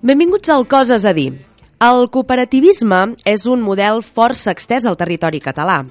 Benvinguts al Coses a dir. El cooperativisme és un model força extès al territori català.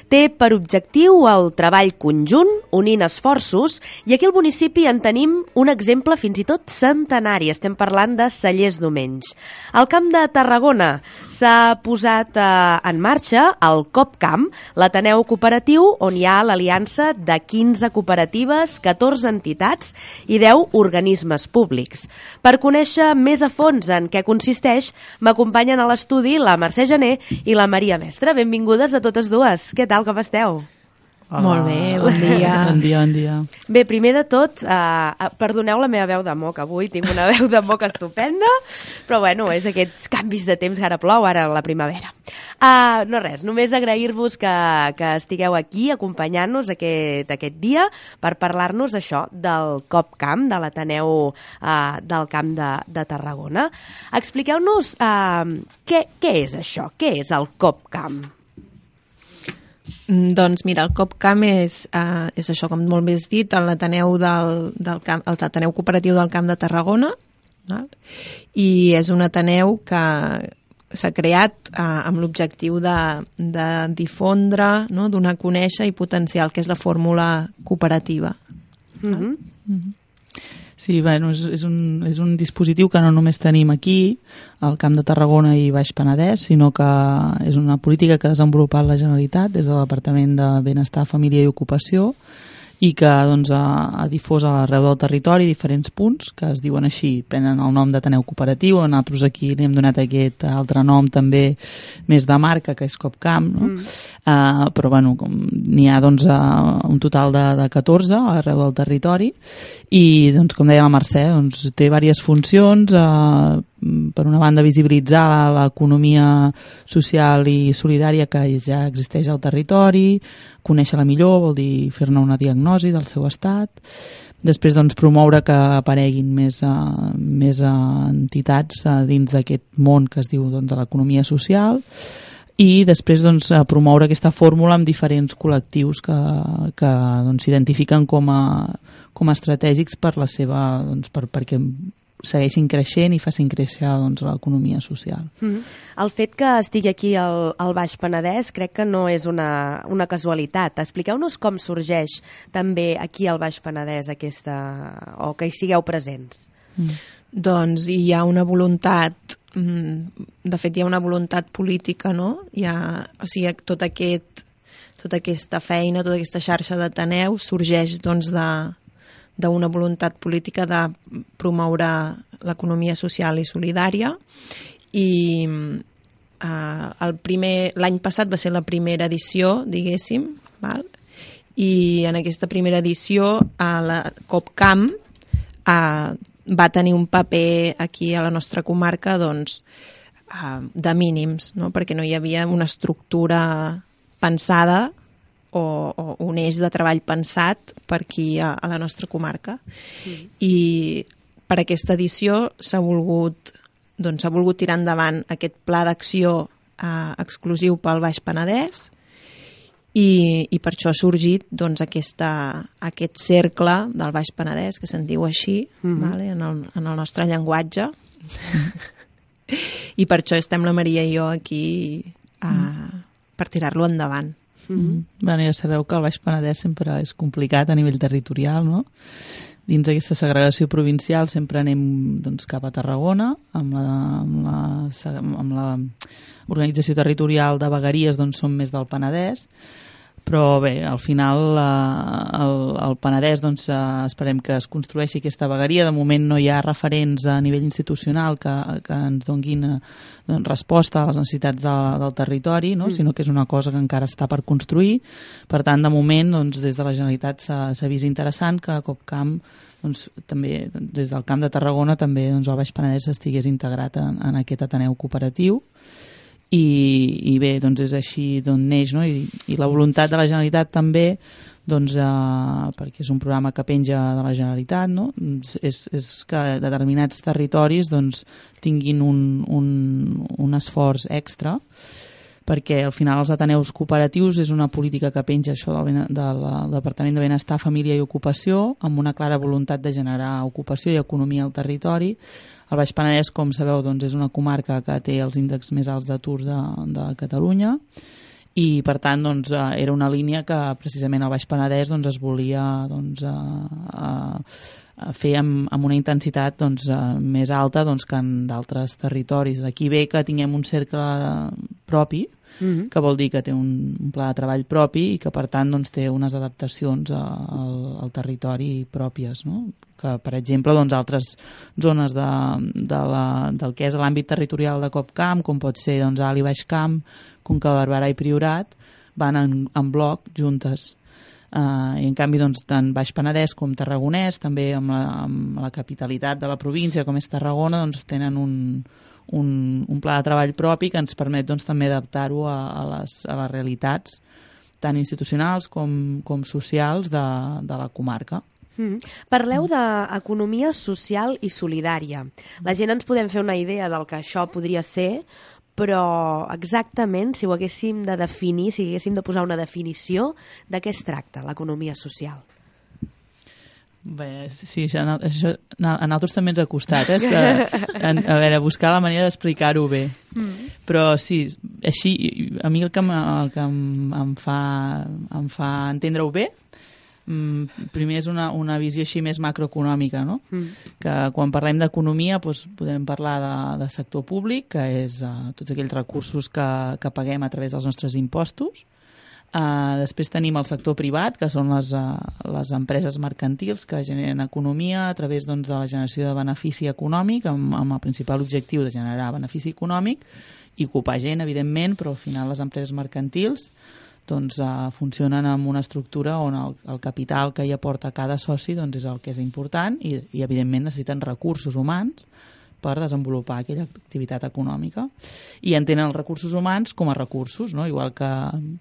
Té per objectiu el treball conjunt, unint esforços, i aquí al municipi en tenim un exemple fins i tot centenari. Estem parlant de Cellers d'Omenys. Al Camp de Tarragona s'ha posat en marxa el COPCAM, l'Ateneu Cooperatiu, on hi ha l'aliança de 15 cooperatives, 14 entitats i 10 organismes públics. Per conèixer més a fons en què consisteix, m'acompanyen a l'estudi la Mercè Gené i la Maria Mestre. Benvingudes a totes dues. Què tal, com esteu? Hola. Molt bé, bon dia. Bon dia, bon dia. Bé, primer de tot, perdoneu la meva veu de moc avui, tinc una veu de moc estupenda, però bueno, és aquests canvis de temps, ara plou, ara la primavera. No res, només agrair-vos que estigueu aquí acompanyant-nos aquest dia per parlar-nos això del COPCAM, de l'Ateneu del Camp de Tarragona. Expliqueu-nos què és això, què és el COPCAM? Doncs mira, el COPCAM és això, com molt més dit, l'Ateneu l'Ateneu Cooperatiu del Camp de Tarragona, val? I és un Ateneu que s'ha creat amb l'objectiu de difondre, no? Donar a conèixer i potenciar el que és la fórmula cooperativa. Mm-hmm. Mm-hmm. Sí, bueno, és un dispositiu que no només tenim aquí, al Camp de Tarragona i Baix Penedès, sinó que és una política que ha desenvolupat la Generalitat des del Departament de Benestar, Família i Ocupació i que doncs, ha difós arreu del territori diferents punts que es diuen així, prenen el nom d'Ateneu Cooperatiu, nosaltres aquí li hem donat aquest altre nom també més de marca, que és COPCAM, no? Però bueno, n'hi ha doncs, un total de 14 arreu del territori i doncs, com deia la Mercè, doncs, té diverses funcions, per una banda visibilitzar l'economia social i solidària que ja existeix al territori, conèixer-la millor, vol dir fer-ne una diagnosi del seu estat, després doncs, promoure que apareguin més entitats dins d'aquest món que es diu doncs, de l'economia social i després doncs, promoure aquesta fórmula amb diferents col·lectius que doncs, s'identifiquen com a estratègics per la seva, doncs, perquè segueixin creixent i facin créixer doncs, l'economia social. El fet que estigui aquí al Baix Penedès crec que no és una casualitat. Expliqueu-nos com sorgeix també aquí al Baix Penedès o que hi sigueu presents. Doncs hi ha una voluntat, de fet hi ha una voluntat política, no? O sigui, tota aquesta feina, tota aquesta xarxa d'Ateneus sorgeix doncs d'una voluntat política de promoure l'economia social i solidària i l'any passat va ser la primera edició, diguéssim, val? I en aquesta primera edició la COPCAM va tenir un paper aquí a la nostra comarca doncs, de mínims, no? Perquè no hi havia una estructura pensada o un eix de treball pensat per aquí a la nostra comarca. I per aquesta edició s'ha volgut tirar endavant aquest pla d'acció exclusiu pel Baix Penedès i per això ha sorgit doncs, aquest cercle del Baix Penedès, que se'n diu així, vale? en el nostre llenguatge. I per això estem la Maria i jo aquí per tirar-lo endavant. Bueno, ja sabeu que el Baix Penedès sempre és complicat a nivell territorial, no? Dins d'aquesta segregació provincial sempre anem doncs, cap a Tarragona, amb la organització territorial de vegueries doncs, som més del Penedès, però bé, al final el Penedès doncs, esperem que es construeixi aquesta vegueria. De moment no hi ha referents a nivell institucional que ens donguin resposta a les necessitats del territori, no? Sinó que és una cosa que encara està per construir. Per tant, de moment, doncs, des de la Generalitat s'ha vist interessant que COPCAM, doncs, també des del Camp de Tarragona, també doncs, el Baix Penedès estigués integrat en aquest Ateneu Cooperatiu. i bé, doncs és així d'on neix, no? I la voluntat de la Generalitat també, doncs, perquè és un programa que penja de la Generalitat, no? És que determinats territoris doncs, tinguin un esforç extra, perquè al final els ateneus cooperatius és una política que penja això del Departament de Benestar, Família i Ocupació, amb una clara voluntat de generar ocupació i economia al territori. El Baix Penedès, com sabeu, doncs, és una comarca que té els índexs més alts d'atur de Catalunya, i per tant doncs, era una línia que precisament al Baix Penedès doncs, es volia doncs, fer amb una intensitat doncs, més alta doncs, que en d'altres territoris. D'aquí ve que tinguem un cercle propi, que vol dir que té un pla de treball propi i que per tant doncs, té unes adaptacions al territori pròpies, no? Que per exemple doncs, altres zones del que és l'àmbit territorial de Copcamp, com pot ser doncs, Alt i Baix Camp, Conca de Barberà i Priorat, van en bloc juntes. I en canvi doncs, tant Baix Penedès com Tarragonès, també amb la capitalitat de la província com és Tarragona, doncs, tenen un pla de treball propi que ens permet doncs, també adaptar-ho a les realitats tant institucionals com socials de la comarca. Parleu d'economia social i solidària. La gent ens podem fer una idea del que això podria ser, però exactament, si ho haguéssim de definir, si haguéssim de posar una definició, de què es tracta l'economia social? Bé, sí, això a nosaltres també ens ha costat, és que, a veure, buscar la manera d'explicar-ho bé. Però sí, així, a mi el que em fa entendre-ho bé, primer és una visió així més macroeconòmica, no? Que quan parlem d'economia doncs, podem parlar de sector públic, que és tots aquells recursos que paguem a través dels nostres impostos. Després tenim el sector privat, que són les empreses mercantils que generen economia a través doncs, de la generació de benefici econòmic, amb el principal objectiu de generar benefici econòmic i ocupar gent, evidentment, però al final les empreses mercantils doncs, funcionen amb una estructura on el capital que hi aporta cada soci doncs, és el que és important i evidentment necessiten recursos humans per desenvolupar aquella activitat econòmica. I entenen els recursos humans com a recursos, no? Igual que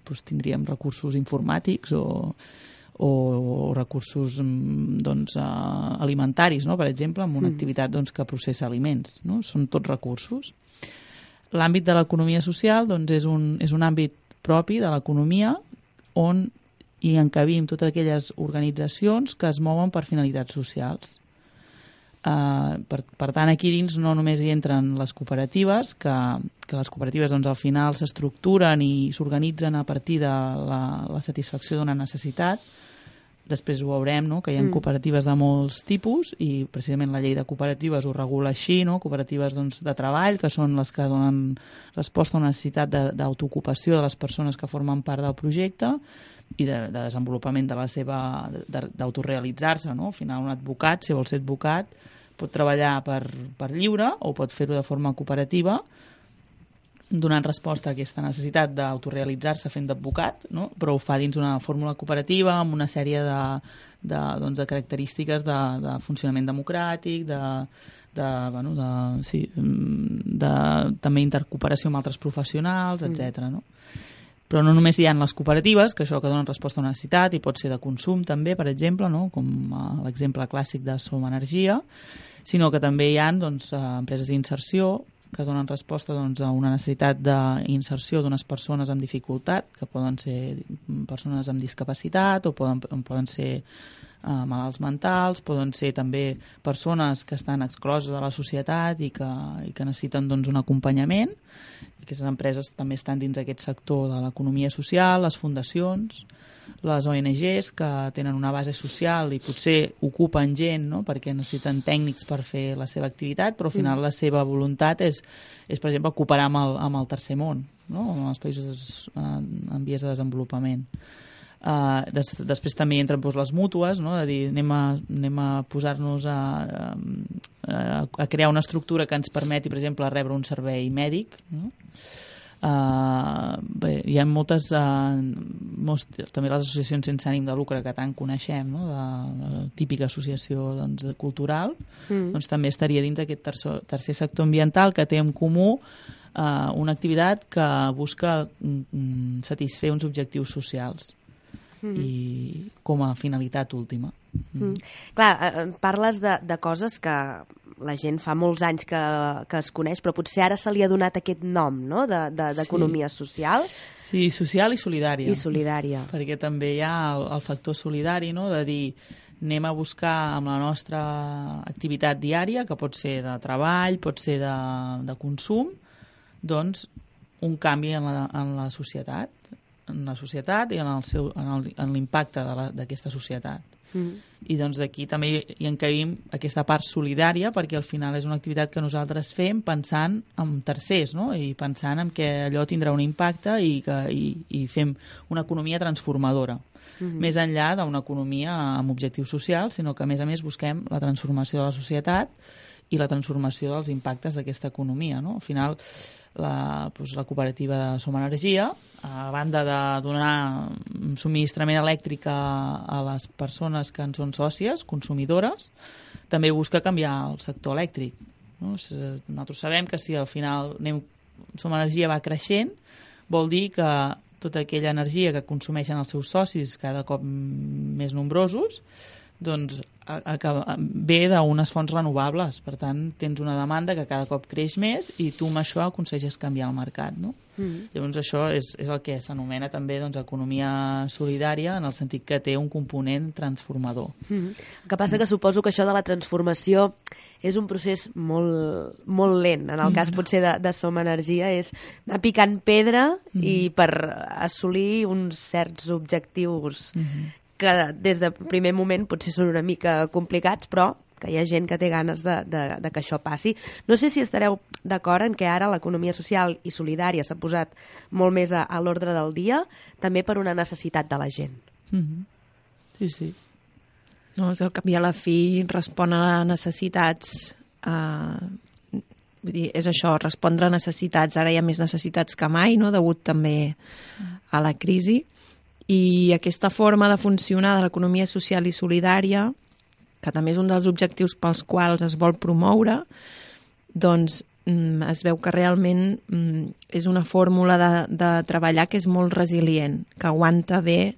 doncs, tindríem recursos informàtics o recursos doncs, alimentaris, no? Per exemple, amb una activitat doncs, que processa aliments. No? Són tots recursos. L'àmbit de l'economia social doncs, és un àmbit propi de l'economia on hi encabim totes aquelles organitzacions que es mouen per finalitats socials. Per tant, aquí dins no només hi entren les cooperatives, que les cooperatives doncs, al final s'estructuren i s'organitzen a partir de la satisfacció d'una necessitat. Després ho veurem, no? Que hi ha cooperatives de molts tipus i precisament la llei de cooperatives ho regula així, no? Cooperatives doncs, de treball, que són les que donen resposta a una necessitat d'autoocupació de les persones que formen part del projecte i de desenvolupament de la seva d'autorealitzar-se, no? Al final un advocat, si vol ser advocat, pot treballar per lliure o pot fer-ho de forma cooperativa donant resposta a aquesta necessitat d'autorealitzar-se fent d'advocat, no? Però ho fa dins una fórmula cooperativa amb una sèrie de característiques de funcionament democràtic, també intercooperació amb altres professionals, etc. No? Però no només hi ha les cooperatives, que això que donen resposta a una necessitat i pot ser de consum també, per exemple, no? Com l'exemple clàssic de Som Energia, sinó que també hi ha doncs, empreses d'inserció que donen resposta doncs, a una necessitat d'inserció d'unes persones amb dificultat, que poden ser persones amb discapacitat o poden ser malalts mentals, poden ser també persones que estan excloses de la societat i que necessiten doncs, un acompanyament. Aquestes empreses també estan dins aquest sector de l'economia social, les fundacions, les ONGs que tenen una base social i potser ocupen gent, no? Perquè necessiten tècnics per fer la seva activitat, però al final la seva voluntat és per exemple, cooperar amb el tercer món, no? Amb els països en vies de desenvolupament. Després també entren doncs, les mútues, no? De dir, anem a posar-nos a crear una estructura que ens permeti, per exemple, rebre un servei mèdic, no? Bé, hi ha moltes també les associacions sense ànim de lucre que tant coneixem, no? La típica associació doncs, cultural, doncs també estaria dins d'aquest tercer sector ambiental que té en comú una activitat que busca satisfer uns objectius socials i com a finalitat última. Clar, parles de coses que la gent fa molts anys que es coneix, però potser ara se li ha donat aquest nom, no?, d'economia social. Sí, social i solidària. I solidària. Perquè també hi ha el factor solidari, no?, de dir anem a buscar amb la nostra activitat diària, que pot ser de treball, pot ser de consum, doncs un canvi en la societat i en l'impacte d'aquesta societat. I doncs d'aquí també hi encabim aquesta part solidària, perquè al final és una activitat que nosaltres fem pensant en tercers, no?, i pensant en que allò tindrà un impacte i fem una economia transformadora. Més enllà d'una economia amb objectius socials, sinó que a més busquem la transformació de la societat i la transformació dels impactes d'aquesta economia, no? Al final, la cooperativa de Som Energia, a banda de donar subministrament elèctric a les persones que en són sòcies, consumidores, també busca canviar el sector elèctric, no? Nosaltres sabem que si al final Som Energia va creixent, vol dir que tota aquella energia que consumeixen els seus socis cada cop més nombrosos, doncs ve d'unes fonts renovables. Per tant, tens una demanda que cada cop creix més i tu amb això aconsegueixes canviar el mercat, no? Llavors això és el que s'anomena també economia solidària, en el sentit que té un component transformador. El que passa que suposo que això de la transformació és un procés molt, molt lent. En el cas potser de Som Energia és anar picant pedra i per assolir uns certs objectius que des del primer moment potser són una mica complicats, però que hi ha gent que té ganes de que això passi. No sé si estareu d'acord en que ara l'economia social i solidària s'ha posat molt més a l'ordre del dia, també per una necessitat de la gent. Sí, sí. No, al cap i a la fi respon a necessitats, vull dir, és això, respondre a necessitats. Ara hi ha més necessitats que mai, no?, degut també a la crisi. I aquesta forma de funcionar de l'economia social i solidària, que també és un dels objectius pels quals es vol promoure, doncs es veu que realment és una fórmula de treballar que és molt resilient, que aguanta bé,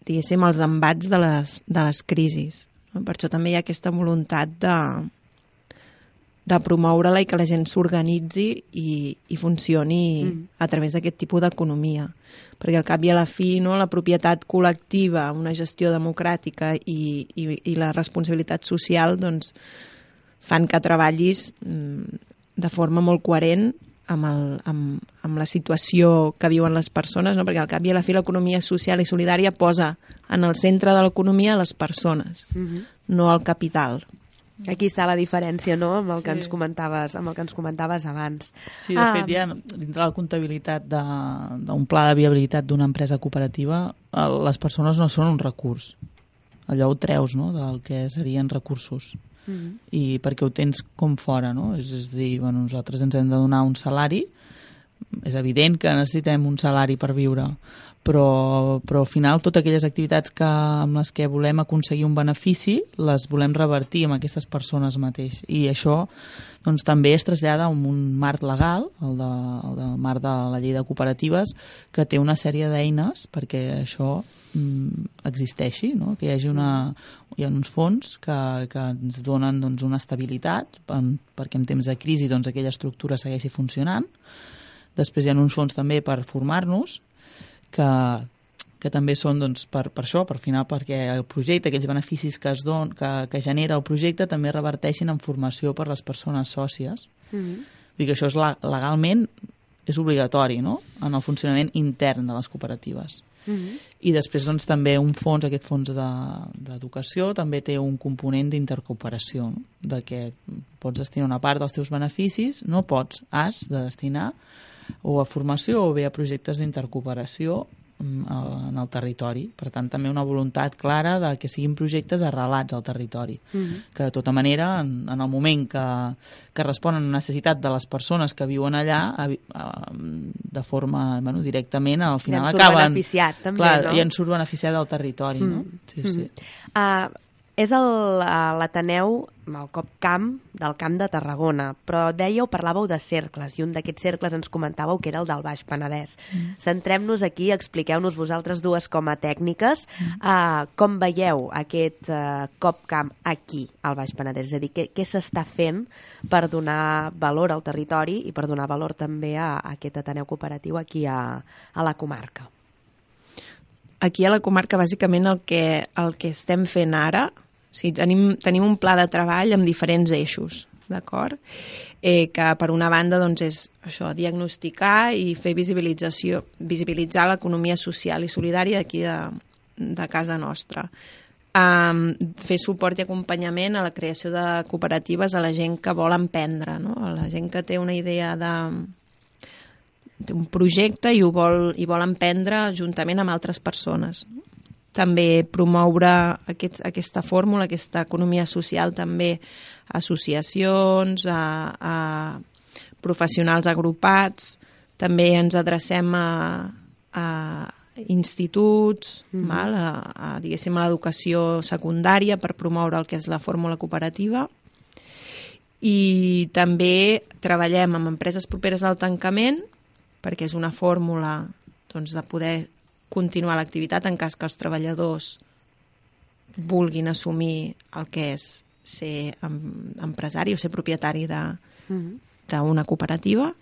diguéssim, els embats de les crisis. Per això també hi ha aquesta voluntat de promoure-la i que la gent s'organitzi i funcioni a través d'aquest tipus d'economia. Perquè al cap i a la fi, no, la propietat col·lectiva, una gestió democràtica i la responsabilitat social doncs, fan que treballis de forma molt coherent amb la situació que viuen les persones, no? Perquè al cap i a la fi l'economia social i solidària posa en el centre de l'economia les persones, no el capital. Aquí està la diferència, no?, amb el que ens comentaves abans. Sí, de fet, ja dintre la comptabilitat d'un pla de viabilitat d'una empresa cooperativa, les persones no són un recurs. Allò ho treus, no?, del que serien recursos. I perquè ho tens com fora, no? És a dir, nosaltres ens hem de donar un salari, és evident que necessitem un salari per viure, però al final totes aquelles activitats amb les que volem aconseguir un benefici les volem revertir amb aquestes persones mateix. I això doncs, també es trasllada en un marc legal, el del marc de la llei de cooperatives, que té una sèrie d'eines perquè això existeixi, no? Que hi ha uns fons que ens donen doncs, una estabilitat perquè en temps de crisi doncs, aquella estructura segueixi funcionant. Després hi ha uns fons també per formar-nos, que també són doncs, per això, per final, perquè el projecte, aquells beneficis que genera el projecte també reverteixin en formació per les persones sòcies. Vull dir que això legalment és obligatori, no?, en el funcionament intern de les cooperatives. I després doncs, també aquest fons d'educació també té un component d'intercooperació, no?, de que pots destinar una part dels teus beneficis, has de destinar o a formació o bé a projectes d'intercooperació en el territori. Per tant, també una voluntat clara de que siguin projectes arrelats al territori. Que de tota manera, en el moment que responen a la necessitat de les persones que viuen allà, de forma directament, al final acaben... beneficiat, també, clar, no? I en surt beneficiat del territori, no? Sí. És l'Ateneu, el CopCamp del Camp de Tarragona, però parlàveu de cercles, i un d'aquests cercles ens comentàveu que era el del Baix Penedès. Centrem-nos aquí, expliqueu-nos vosaltres dues com a tècniques com veieu aquest CopCamp aquí, al Baix Penedès, és a dir, què s'està fent per donar valor al territori i per donar valor també a aquest Ateneu cooperatiu aquí a la comarca. Aquí a la comarca, bàsicament, el que estem fent ara, o sigui, tenim un pla de treball amb diferents eixos, d'acord? Que per una banda doncs, és això, diagnosticar i fer visibilitzar l'economia social i solidària d'aquí de casa nostra. Fer suport i acompanyament a la creació de cooperatives a la gent que vol emprendre, no? A la gent que té una idea d'un projecte i vol emprendre juntament amb altres persones. També promoure aquesta fórmula, aquesta economia social, també a associacions, a professionals agrupats, també ens adrecem a instituts, diguéssim, a l'educació secundària per promoure el que és la fórmula cooperativa, i també treballem amb empreses properes al tancament, perquè és una fórmula doncs, de poder continuar l'activitat en cas que els treballadors vulguin assumir el que és ser empresari o ser propietari d'una cooperativa.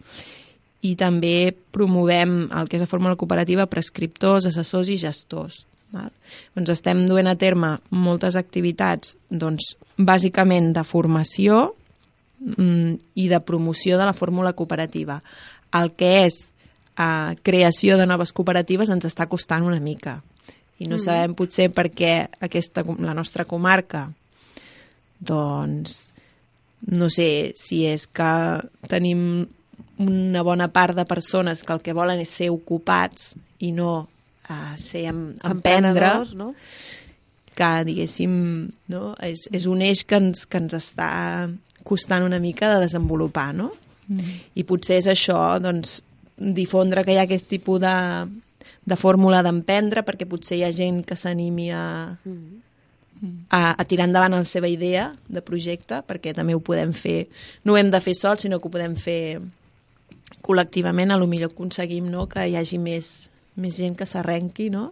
I també promovem el que és la fórmula cooperativa a prescriptors, assessors i gestors. Doncs estem duent a terme moltes activitats, doncs, bàsicament de formació i de promoció de la fórmula cooperativa. El que és creació de noves cooperatives ens està costant una mica. I no sabem potser per què la nostra comarca, doncs, no sé si és que tenim una bona part de persones que el que volen és ser ocupats i no ser emprendre, no? Que, diguéssim, no? És un eix que ens està costant una mica de desenvolupar, no? I potser és això, doncs, difondre que hi ha aquest tipus de fórmula d'emprendre, perquè potser hi ha gent que s'animi a tirar endavant la seva idea de projecte, perquè també ho podem fer, no ho hem de fer sols, sinó que ho podem fer col·lectivament. A lo millor aconseguim, no?, que hi hagi més gent que s'arrenqui, no?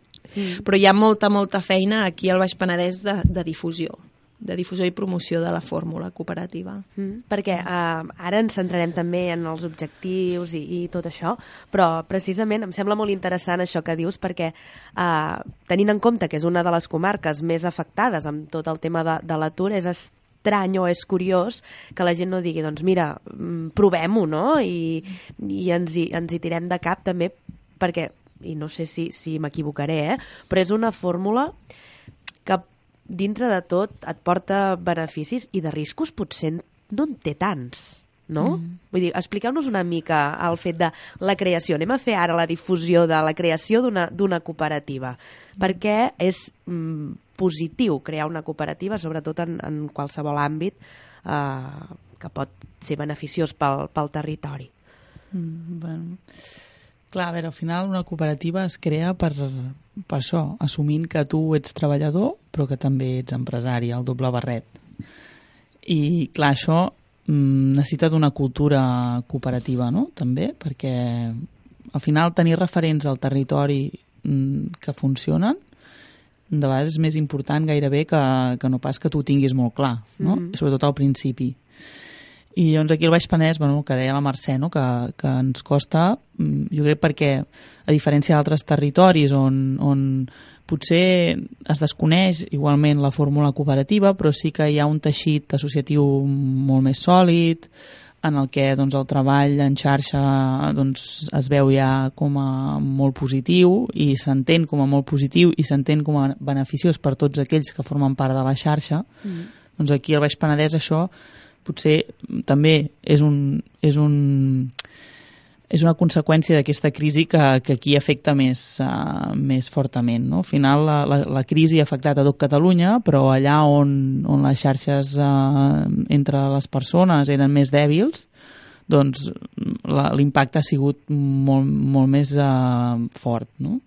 Però hi ha molta feina aquí al Baix Penedès de difusió i promoció de la fórmula cooperativa. Perquè ara ens centrarem també en els objectius i tot això, però precisament em sembla molt interessant això que dius, perquè tenint en compte que és una de les comarques més afectades amb tot el tema de l'atur, és estrany o és curiós que la gent no digui, doncs mira, provem-ho, no? I ens hi tirem de cap també, perquè, i no sé si m'equivocaré, però és una fórmula que dintre de tot et porta beneficis i de riscos potser no en té tants, no? Vull dir, expliqueu-nos una mica el fet de la creació. Anem a fer ara la difusió de la creació d'una cooperativa, perquè és positiu crear una cooperativa, sobretot en qualsevol àmbit que pot ser beneficiós pel territori. Bueno, clar, a veure, al final una cooperativa es crea per això, assumint que tu ets treballador però que també ets empresari, el doble barret. I clar, això necessita d'una cultura cooperativa, no?, també, perquè al final tenir referents al territori que funcionen de vegades és més important gairebé que no pas que tu ho tinguis molt clar, no? Sobretot al principi. I llavors aquí al Baix Penedès, bueno, que deia la Mercè, no?, que ens costa, jo crec perquè a diferència d'altres territoris on potser es desconeix igualment la fórmula cooperativa, però sí que hi ha un teixit associatiu molt més sòlid, en el que doncs, el treball en xarxa doncs, es veu ja com a molt positiu i s'entén com a molt positiu i s'entén com a beneficiós per tots aquells que formen part de la xarxa. Doncs aquí al Baix Penedès això potser també és una conseqüència d'aquesta crisi que aquí afecta més fortament, no? Al final la crisi ha afectat a tot Catalunya, però allà on les xarxes entre les persones eren més dèbils, doncs l'impacte ha sigut molt més fort, no?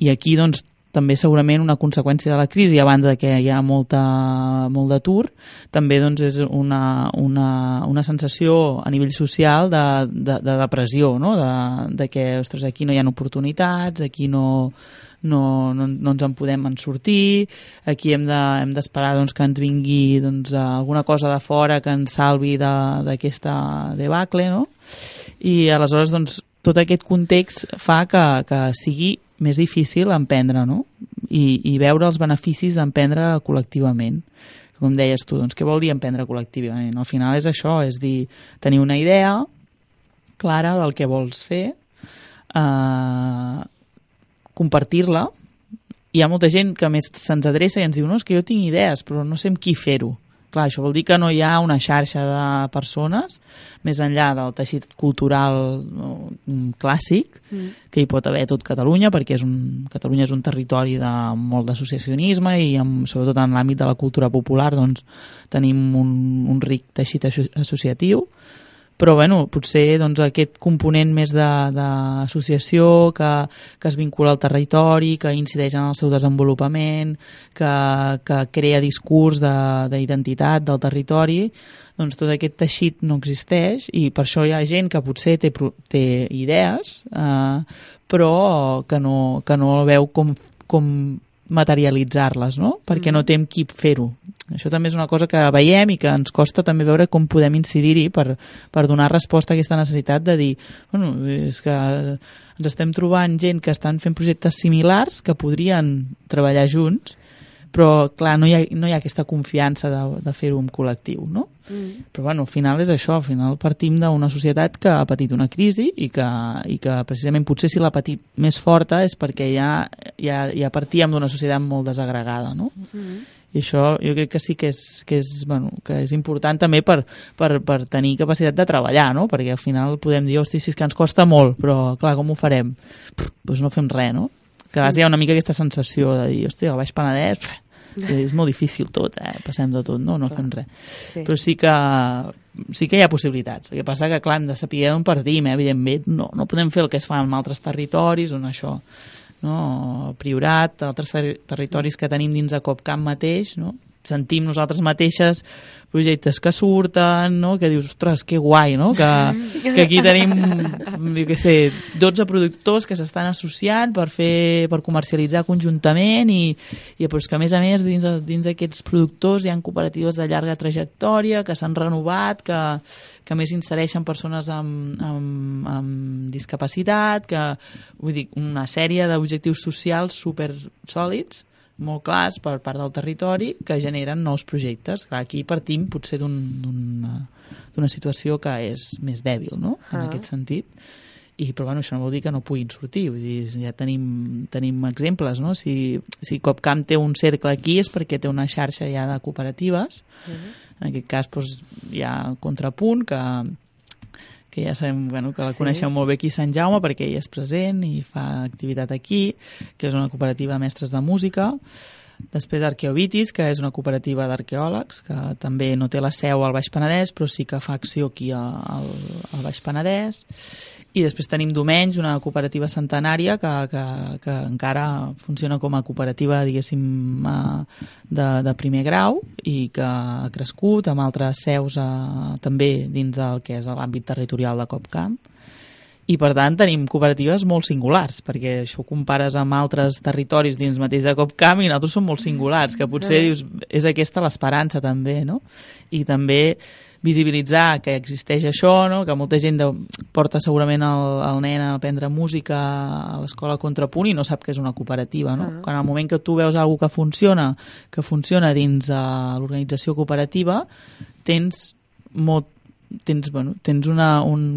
I aquí doncs també segurament una conseqüència de la crisi, a banda que hi ha molt d'atur, també doncs, és una sensació a nivell social de depressió, no? De que, ostres, aquí no hi ha oportunitats, aquí no ens en podem sortir, aquí hem d'esperar doncs, que ens vingui doncs, alguna cosa de fora que ens salvi d'aquesta debacle, no? I aleshores doncs, tot aquest context fa que sigui més difícil emprendre, no? I veure els beneficis d'emprendre col·lectivament. Com deies tu, doncs, què vol dir emprendre col·lectivament? Al final és això, és dir, tenir una idea clara del que vols fer, compartir-la. Hi ha molta gent que més se'ns adreça i ens diu, no, és que jo tinc idees, però no sé amb qui fer-ho. Clar, això vol dir que no hi ha una xarxa de persones, més enllà del teixit cultural clàssic, que hi pot haver tot Catalunya, perquè Catalunya és un territori de molt d'associacionisme i sobretot en l'àmbit de la cultura popular doncs, tenim un ric teixit associatiu, però bueno, potser doncs, aquest component més d'associació que es vincula al territori, que incideix en el seu desenvolupament, que crea discurs d'identitat del territori, doncs tot aquest teixit no existeix i per això hi ha gent que potser té idees, però que no veu com materialitzar-les, no? Perquè no té amb qui fer-ho. Això també és una cosa que veiem i que ens costa també veure com podem incidir-hi per donar resposta a aquesta necessitat de dir, bueno, és que ens estem trobant gent que estan fent projectes similars que podrien treballar junts, però clar, no hi ha aquesta confiança de fer-ho en col·lectiu, no? Però bueno, al final és això, al final partim d'una societat que ha patit una crisi i que precisament potser si l'ha patit més forta és perquè ja partíem d'una societat molt desagregada, no? I això jo crec que sí que és important també per tenir capacitat de treballar, no? Perquè al final podem dir, hosti, sí, és que ens costa molt, però clar, com ho farem? Doncs no fem res, no? Que a vegades hi ha una mica aquesta sensació de dir, hosti, al Baix Penedès és molt difícil tot, passem de tot, no fem res. Sí. Però sí que hi ha possibilitats. El que passa que, clar, hem de saber d'on partim, evidentment. No podem fer el que es fa en altres territoris, on això, no? Priorat, altres territoris que tenim dins de Copcamp mateix, no? Sentim nosaltres mateixes projectes que surten, no? Que dius, ostres, que guai, no? Que aquí tenim, jo què sé, 12 productors que s'estan associant per comercialitzar conjuntament i doncs que, a més, dins d'aquests productors hi ha cooperatives de llarga trajectòria que s'han renovat, que més insereixen persones amb discapacitat, vull dir, una sèrie d'objectius socials super sòlids, molt clars per part del territori que generen nous projectes. Clar, aquí partim potser d'una situació que és més dèbil, no? En aquest sentit. Però bueno, això no vol dir que no puguin sortir. Vull dir, ja tenim exemples, no? Si Copcamp té un cercle aquí és perquè té una xarxa ja de cooperatives. En aquest cas doncs, hi ha Contrapunt, que ja sabem que la coneixeu molt bé aquí a Sant Jaume perquè ell és present i fa activitat aquí, que és una cooperativa de mestres de música. Després Arqueovitis, que és una cooperativa d'arqueòlegs, que també no té la seu al Baix Penedès, però sí que fa acció aquí al Baix Penedès. I després tenim Domenys, una cooperativa centenària que encara funciona com a cooperativa, diguéssim, de primer grau i que ha crescut amb altres seus també dins del que és l'àmbit territorial de Copcamp. I, per tant, tenim cooperatives molt singulars, perquè això ho compares amb altres territoris dins mateix de Copcamp i nosaltres som molt singulars, que potser dius, és aquesta l'esperança també, no? I també visibilitzar que existeix això, no? Que molta gent porta segurament el nen a aprendre música a l'escola Contrapunt i no sap que és una cooperativa, no? Quan al moment que tu veus alguna que funciona dins l'organització cooperativa, tens un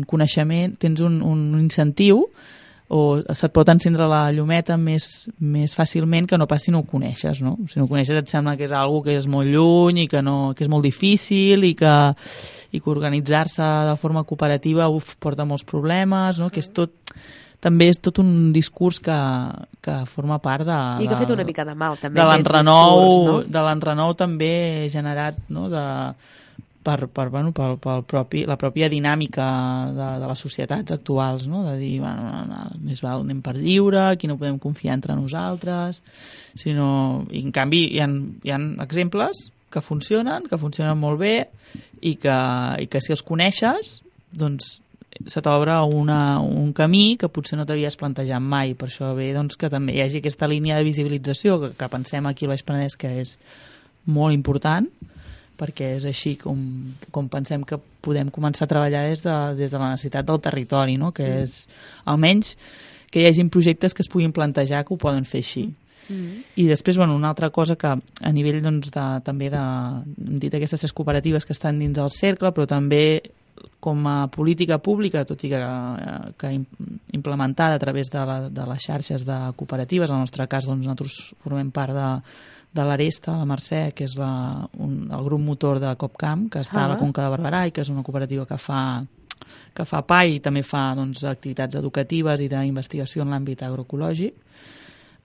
coneixement, tens un incentiu o se't pot encendre la llumeta més fàcilment que no pas si no ho coneixes, no? Si no ho coneixes et sembla que és algo que és molt lluny i que és molt difícil i que organitzar-se de forma cooperativa porta molts problemes, no? Que també és tot un discurs que forma part I que ha fet una mica de mal, també. De l'enrenou també generat, no? la pròpia dinàmica de les societats actuals, no? De dir, més val anem per lliure, aquí no podem confiar entre nosaltres, sinó... I en canvi hi ha exemples que funcionen molt bé i que si els coneixes, doncs se t'obre un camí que potser no t'havies plantejat mai. Per això ve doncs, que també hi hagi aquesta línia de visibilització que pensem aquí al Baix Penedès que és molt important, perquè és així com pensem que podem començar a treballar des de la necessitat del territori, no? Que és almenys que hi hagin projectes que es puguin plantejar que ho poden fer així. I després, una altra cosa que a nivell també hem dit aquestes 3 cooperatives que estan dins del cercle, però també com a política pública, tot i que implementada a través de les xarxes de cooperatives, en el nostre cas nosaltres formem part de l'Aresta, la Mercè, que és el grup motor de Copcam, que està a la Conca de Barberà i que és una cooperativa que fa pa i també fa activitats educatives i d'investigació en l'àmbit agroecològic.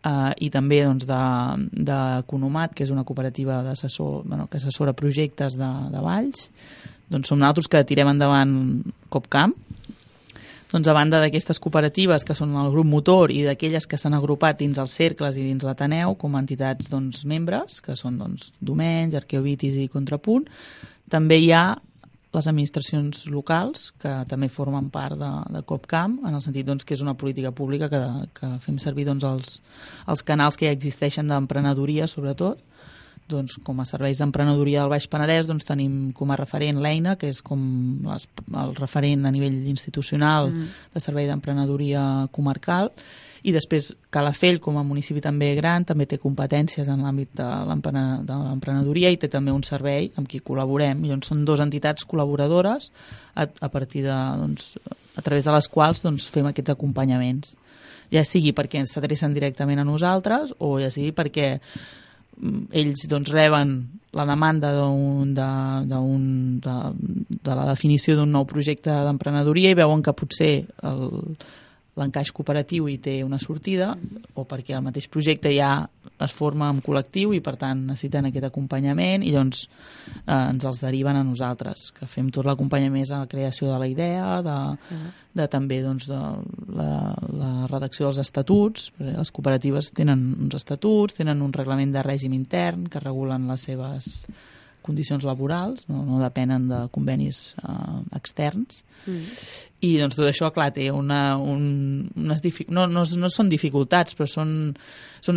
I també d'Economat, que és una cooperativa que assessora projectes de valls. Som nosaltres que tirem endavant Copcam. A banda d'aquestes cooperatives que són el grup motor i d'aquelles que s'han agrupat dins els cercles i dins l'Ateneu com a entitats membres, que són Domenys, Arqueovitis i Contrapunt, també hi ha les administracions locals, que també formen part de Copcam, en el sentit que és una política pública que fem servir els canals que ja existeixen d'emprenedoria, sobretot. Com a serveis d'emprenedoria del Baix Penedès tenim com a referent l'EINA, que és com el referent a nivell institucional de servei d'emprenedoria comarcal, i després Calafell, com a municipi també gran, també té competències en l'àmbit de l'emprenedoria i té també un servei amb qui col·laborem. I són 2 entitats col·laboradores a partir a través de les quals fem aquests acompanyaments. Ja sigui perquè s'adrecen directament a nosaltres o ja sigui perquè ells reben la demanda de la definició d'un nou projecte d'emprenedoria i veuen que potser l'encaix cooperatiu hi té una sortida o perquè el mateix projecte ja es forma en col·lectiu i per tant necessiten aquest acompanyament i ens els deriven a nosaltres, que fem tot l'acompanyament a la creació de la idea, també de la redacció dels estatuts. Les cooperatives tenen uns estatuts, tenen un reglament de règim intern que regulen les seves condicions laborals, no depenen de convenis externs. I tot això, clar, té no són dificultats, però són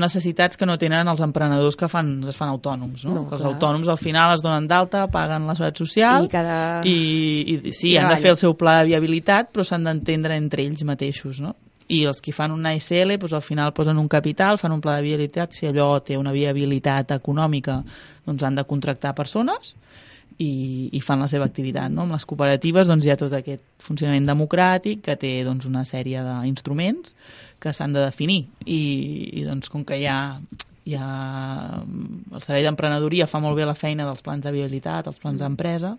necessitats que no tenen els emprenedors que es fan autònoms, no? Que els autònoms al final es donen d'alta, paguen la seguretat social i sí, han de fer el seu pla de viabilitat, però s'han d'entendre entre ells mateixos, no? I els que fan una SL al final posen un capital, fan un pla de viabilitat, si allò té una viabilitat econòmica han de contractar persones i fan la seva activitat, no? Amb les cooperatives hi ha tot aquest funcionament democràtic que té una sèrie d'instruments que s'han de definir i com que el servei d'emprenedoria fa molt bé la feina dels plans de viabilitat, els plans d'empresa,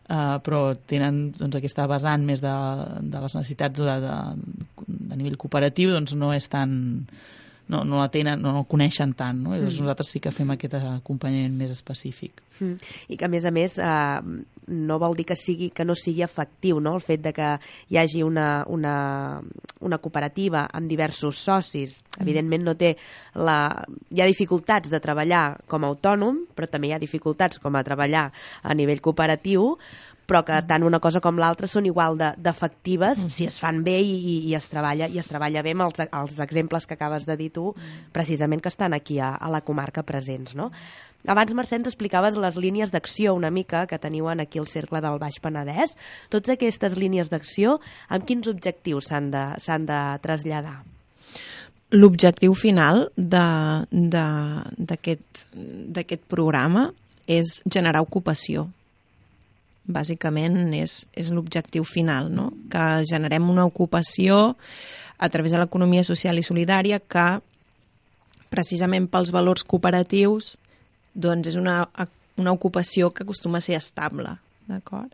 però tenen aquesta vessant més de les necessitats de nivell cooperatiu, no és tan... no la tenen, no el coneixen tant, no? Nosaltres sí que fem aquest acompanyament més específic. I que a més no vol dir que no sigui efectiu, no? El fet de que hi hagi una cooperativa amb diversos socis, evidentment hi ha dificultats de treballar com a autònom, però també hi ha dificultats com a treballar a nivell cooperatiu, però que tant una cosa com l'altra són igual d'efectives si es fan bé i es treballa bé amb els exemples que acabes de dir tu, precisament que estan aquí a la comarca presents, no? Abans, Mercè, ens explicaves les línies d'acció una mica que teniu aquí al Cercle del Baix Penedès. Totes aquestes línies d'acció, amb quins objectius s'han de traslladar? L'objectiu final d'aquest programa és generar ocupació. Bàsicament és l'objectiu final, no? Que generem una ocupació a través de l'economia social i solidària que, precisament pels valors cooperatius, és una ocupació que acostuma a ser estable, d'acord?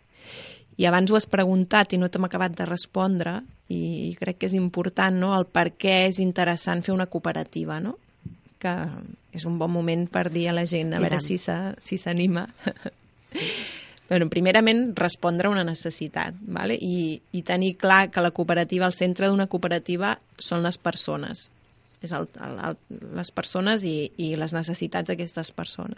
I abans ho has preguntat i no t'hem acabat de respondre i crec que és important, no?, el per què és interessant fer una cooperativa, no? Que és un bon moment per dir a la gent a veure si s'anima. Bueno, primerament, respondre a una necessitat, ¿vale? I tenir clar que la cooperativa, el centre d'una cooperativa són les persones. És les persones i les necessitats d'aquestes persones.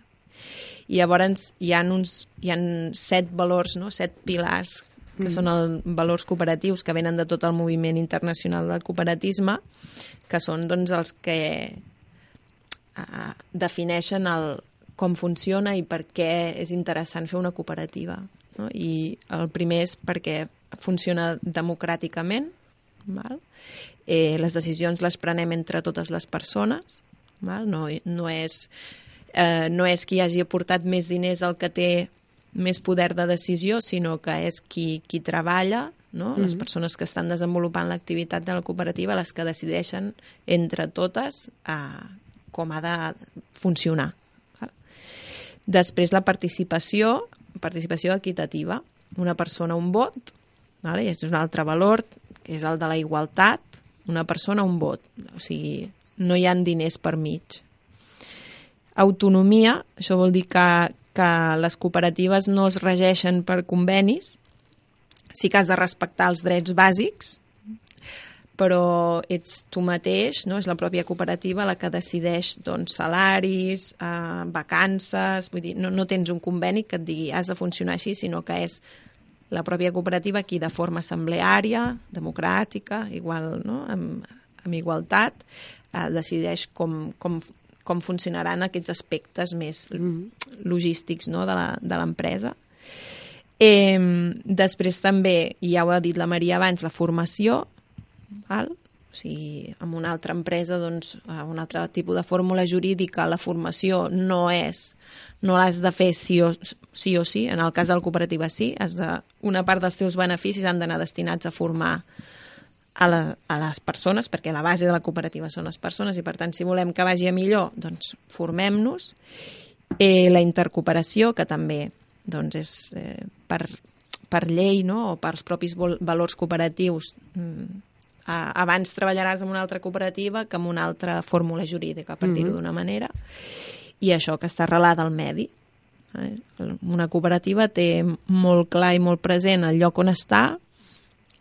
I llavors hi ha 7 valors, no? 7 pilars, que són els valors cooperatius que venen de tot el moviment internacional del cooperatisme, que són doncs, els que defineixen com funciona i per què és interessant fer una cooperativa. No? I el primer és perquè funciona democràticament, val? Les decisions les prenem entre totes les persones, val? No és qui hagi aportat més diners el que té més poder de decisió, sinó que és qui treballa, no? Les persones que estan desenvolupant l'activitat de la cooperativa, les que decideixen entre totes com ha de funcionar. Després la participació equitativa. Una persona, un vot, vale? I aquest és un altre valor, que és el de la igualtat. Una persona, un vot. O sigui, no hi ha diners per mig. Autonomia, això vol dir que les cooperatives no es regeixen per convenis, sí que has de respectar els drets bàsics, però ets tu mateix, no? És la pròpia cooperativa la que decideix doncs, salaris, vacances, vull dir, no tens un conveni que et digui has de funcionar així, sinó que és la pròpia cooperativa qui de forma assembleària, democràtica, igual, no? amb igualtat, decideix com funcionaran aquests aspectes més logístics, no? de l'empresa. Després també, ja ho ha dit la Maria abans, la formació, val? O sigui, en una altra empresa, doncs, un altre tipus de fórmula jurídica, la formació no l'has de fer sí o sí, en el cas de la cooperativa sí, una part dels teus beneficis han d'anar destinats a formar a les persones, perquè la base de la cooperativa són les persones i, per tant, si volem que vagi a millor, doncs formem-nos. La intercooperació, que també doncs, és per llei, no? O pels propis valors cooperatius, abans treballaràs en una altra cooperativa que en una altra fórmula jurídica, per dir-ho d'una manera, i això que està arrelada al medi. Una cooperativa té molt clar i molt present el lloc on està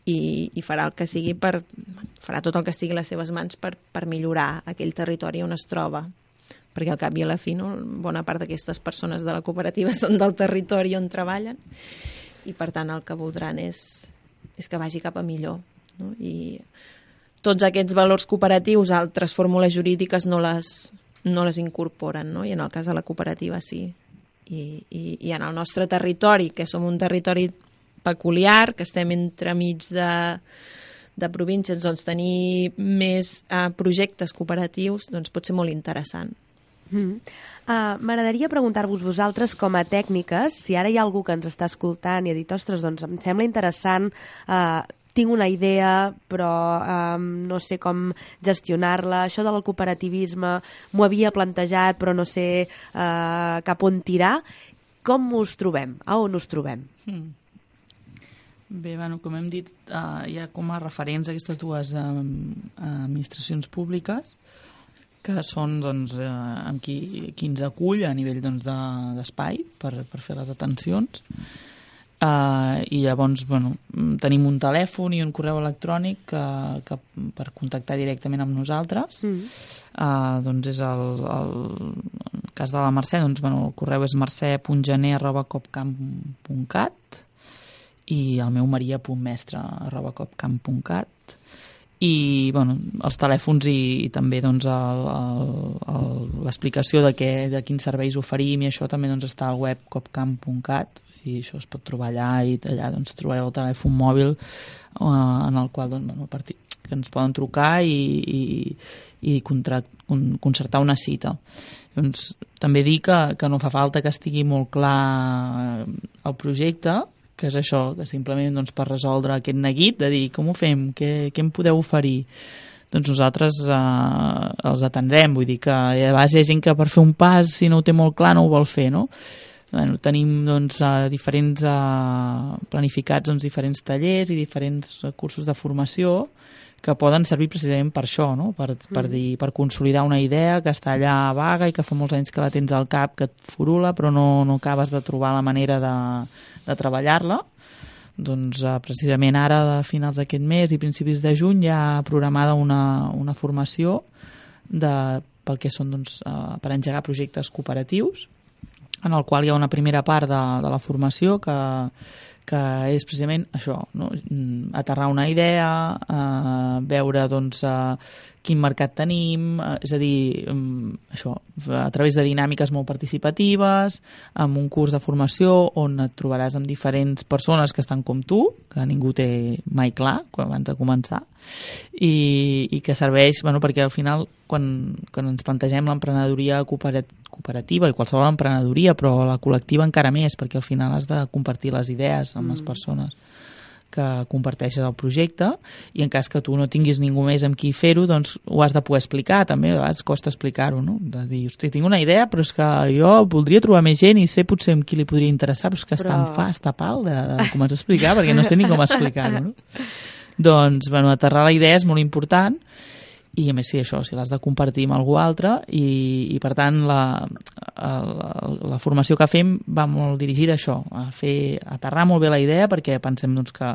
i farà el que sigui farà tot el que estigui a les seves mans per millorar aquell territori on es troba, perquè al cap i a la fi, no? Bona part d'aquestes persones de la cooperativa són del territori on treballen i, per tant, el que voldran és que vagi cap a millor. No? I tots aquests valors cooperatius, altres fórmules jurídiques no les incorporen, no? I en el cas de la cooperativa sí. I en el nostre territori, que som un territori peculiar, que estem entremig de províncies, doncs tenir més projectes cooperatius doncs pot ser molt interessant. M'agradaria preguntar-vos vosaltres com a tècniques, si ara hi ha algú que ens està escoltant i ha dit, ostres, doncs em sembla interessant, tinc una idea, però no sé com gestionar-la. Això del cooperativisme m'ho havia plantejat, però no sé cap on tirar. Com us trobem? A on us trobem? Bé, bueno, com hem dit, hi ha com a referents aquestes dues administracions públiques, que són doncs, amb qui ens acull a nivell doncs, d'espai per fer les atencions. I llavors tenim un telèfon i un correu electrònic que per contactar directament amb nosaltres. Doncs és el cas de la Mercè, doncs, el correu és mercè.gener@copcamp.cat i el meu maria.mestre@copcamp.cat. I els telèfons i també doncs, l'explicació de quins serveis oferim i això també doncs, està al web copcamp.cat i això es pot trobar allà i allà doncs, trobareu el telèfon mòbil en el qual doncs, que ens poden trucar i concertar una cita. Doncs, també dir que no fa falta que estigui molt clar el projecte, que és això, que simplement doncs, per resoldre aquest neguit de dir com ho fem, què em podeu oferir, doncs nosaltres els atendrem, vull dir que a vegades hi ha gent que per fer un pas, si no ho té molt clar, no ho vol fer, no? Tenim doncs, planificats doncs, diferents tallers i diferents cursos de formació que poden servir precisament per això, no? Per consolidar una idea que està allà vaga i que fa molts anys que la tens al cap, que et furula, però no acabes de trobar la manera de treballar-la. Doncs precisament ara, a finals d'aquest mes i principis de juny, hi ha programada una formació pel que són per engegar projectes cooperatius, en el qual hi ha una primera part de la formació que és precisament això, no? Aterrar una idea, veure quin mercat tenim, és a dir, això, a través de dinàmiques molt participatives, amb un curs de formació on et trobaràs amb diferents persones que estan com tu, que ningú té mai clar abans de començar, i que serveix perquè al final, quan ens plantegem l'emprenedoria cooperativa i qualsevol emprenedoria, però la col·lectiva encara més, perquè al final has de compartir les idees amb les persones que comparteixes el projecte, i en cas que tu no tinguis ningú més amb qui fer-ho, doncs ho has de poder explicar, també a vegades costa explicar-ho, no? De dir, hosti, tinc una idea, però és que jo voldria trobar més gent i sé potser amb qui li podria interessar, però és que està pal de començar a explicar, perquè no sé ni com explicar-ho, no? Doncs, aterrar la idea és molt important, i a més si l'has de compartir amb algú altre, i per tant la formació que fem va molt dirigida a això, a aterrar molt bé la idea, perquè pensem que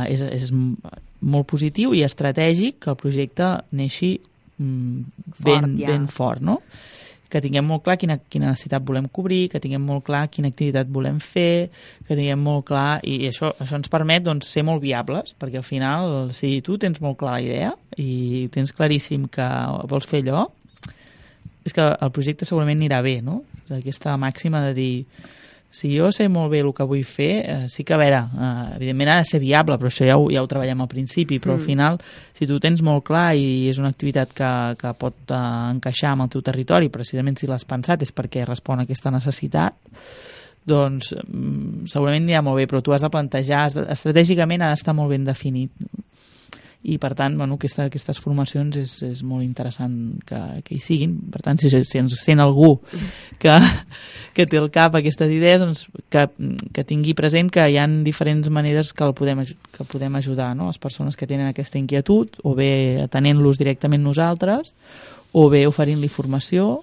és molt positiu i estratègic que el projecte neixi ben fort, no? Que tinguem molt clar quina necessitat volem cobrir, que tinguem molt clar quina activitat volem fer, que tinguem molt clar... I això ens permet ser molt viables, perquè al final, si tu tens molt clar la idea i tens claríssim que vols fer allò, és que el projecte segurament anirà bé, no? Aquesta màxima de dir... Si jo sé molt bé el que vull fer, sí que, a veure, evidentment ha de ser viable, però això ja ho treballem al principi, però al final, si tu tens molt clar i és una activitat que pot encaixar amb el teu territori, precisament si l'has pensat és perquè respon a aquesta necessitat, doncs segurament anirà molt bé, però tu has de plantejar, estratègicament ha d'estar molt ben definit. I per tant, aquestes formacions és molt interessant que hi siguin. Per tant, si ens sent algú que té al cap aquestes idees, doncs que tingui present que hi ha diferents maneres que podem ajudar, no? Les persones que tenen aquesta inquietud, o bé atenent-los directament nosaltres, o bé oferint-li formació.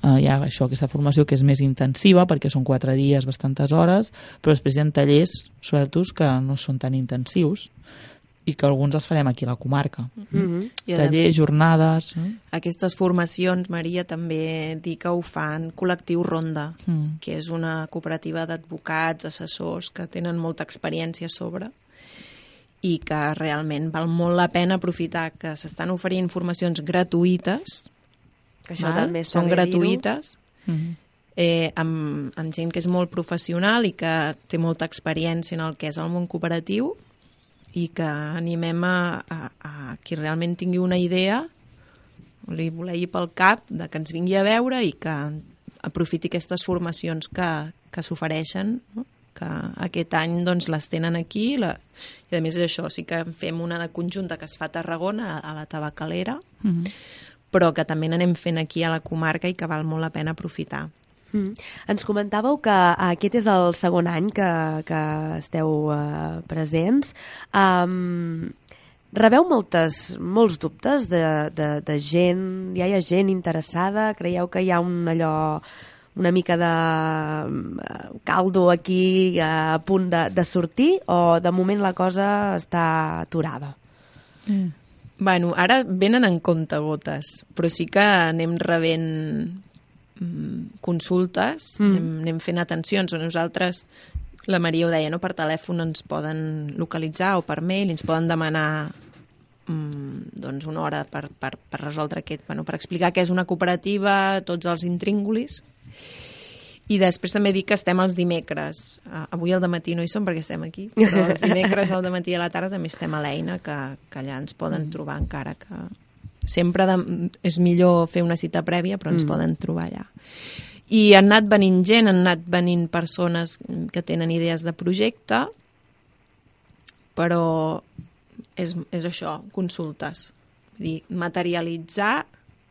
Hi ha aquesta formació que és més intensiva, perquè són 4 dies, bastantes hores, però després hi ha tallers sueltos que no són tan intensius, i que alguns els farem aquí a la comarca. Tallers, jornades... Aquestes formacions, Maria, també dir que ho fan Col·lectiu Ronda, que és una cooperativa d'advocats, assessors, que tenen molta experiència a sobre, i que realment val molt la pena aprofitar que s'estan oferint formacions gratuïtes, que això també són gratuïtes, amb gent que és molt professional i que té molta experiència en el que és el món cooperatiu, i que animem a qui realment tingui una idea, li volegui pel cap, de que ens vingui a veure i que aprofiti aquestes formacions que s'ofereixen, no? Que aquest any doncs, les tenen aquí, i a més és això, sí que fem una de conjunta que es fa a Tarragona, a la Tabacalera, però que també n'anem fent aquí a la comarca i que val molt la pena aprofitar. Ens comentàveu que aquest és el segon any que esteu presents. Rebeu molts dubtes de gent, ja hi ha gent interessada? Creieu que hi ha una mica de caldo aquí a punt de sortir, o de moment la cosa està aturada? Bueno, ara venen en comptagotes, però sí que anem rebent consultes, anem fent atencions. Nosaltres, la Maria ho deia, no? Per telèfon ens poden localitzar o per mail, ens poden demanar doncs una hora per resoldre per explicar què és una cooperativa, tots els intríngulis. I després també dic que estem els dimecres. Avui al dematí no hi som perquè estem aquí, però els dimecres al dematí i a la tarda també estem a l'Eina, que allà ens poden trobar, encara que sempre és millor fer una cita prèvia, però ens poden trobar allà. I han anat venint gent, han anat venint persones que tenen idees de projecte, però és això, consultes. Vull dir, materialitzar,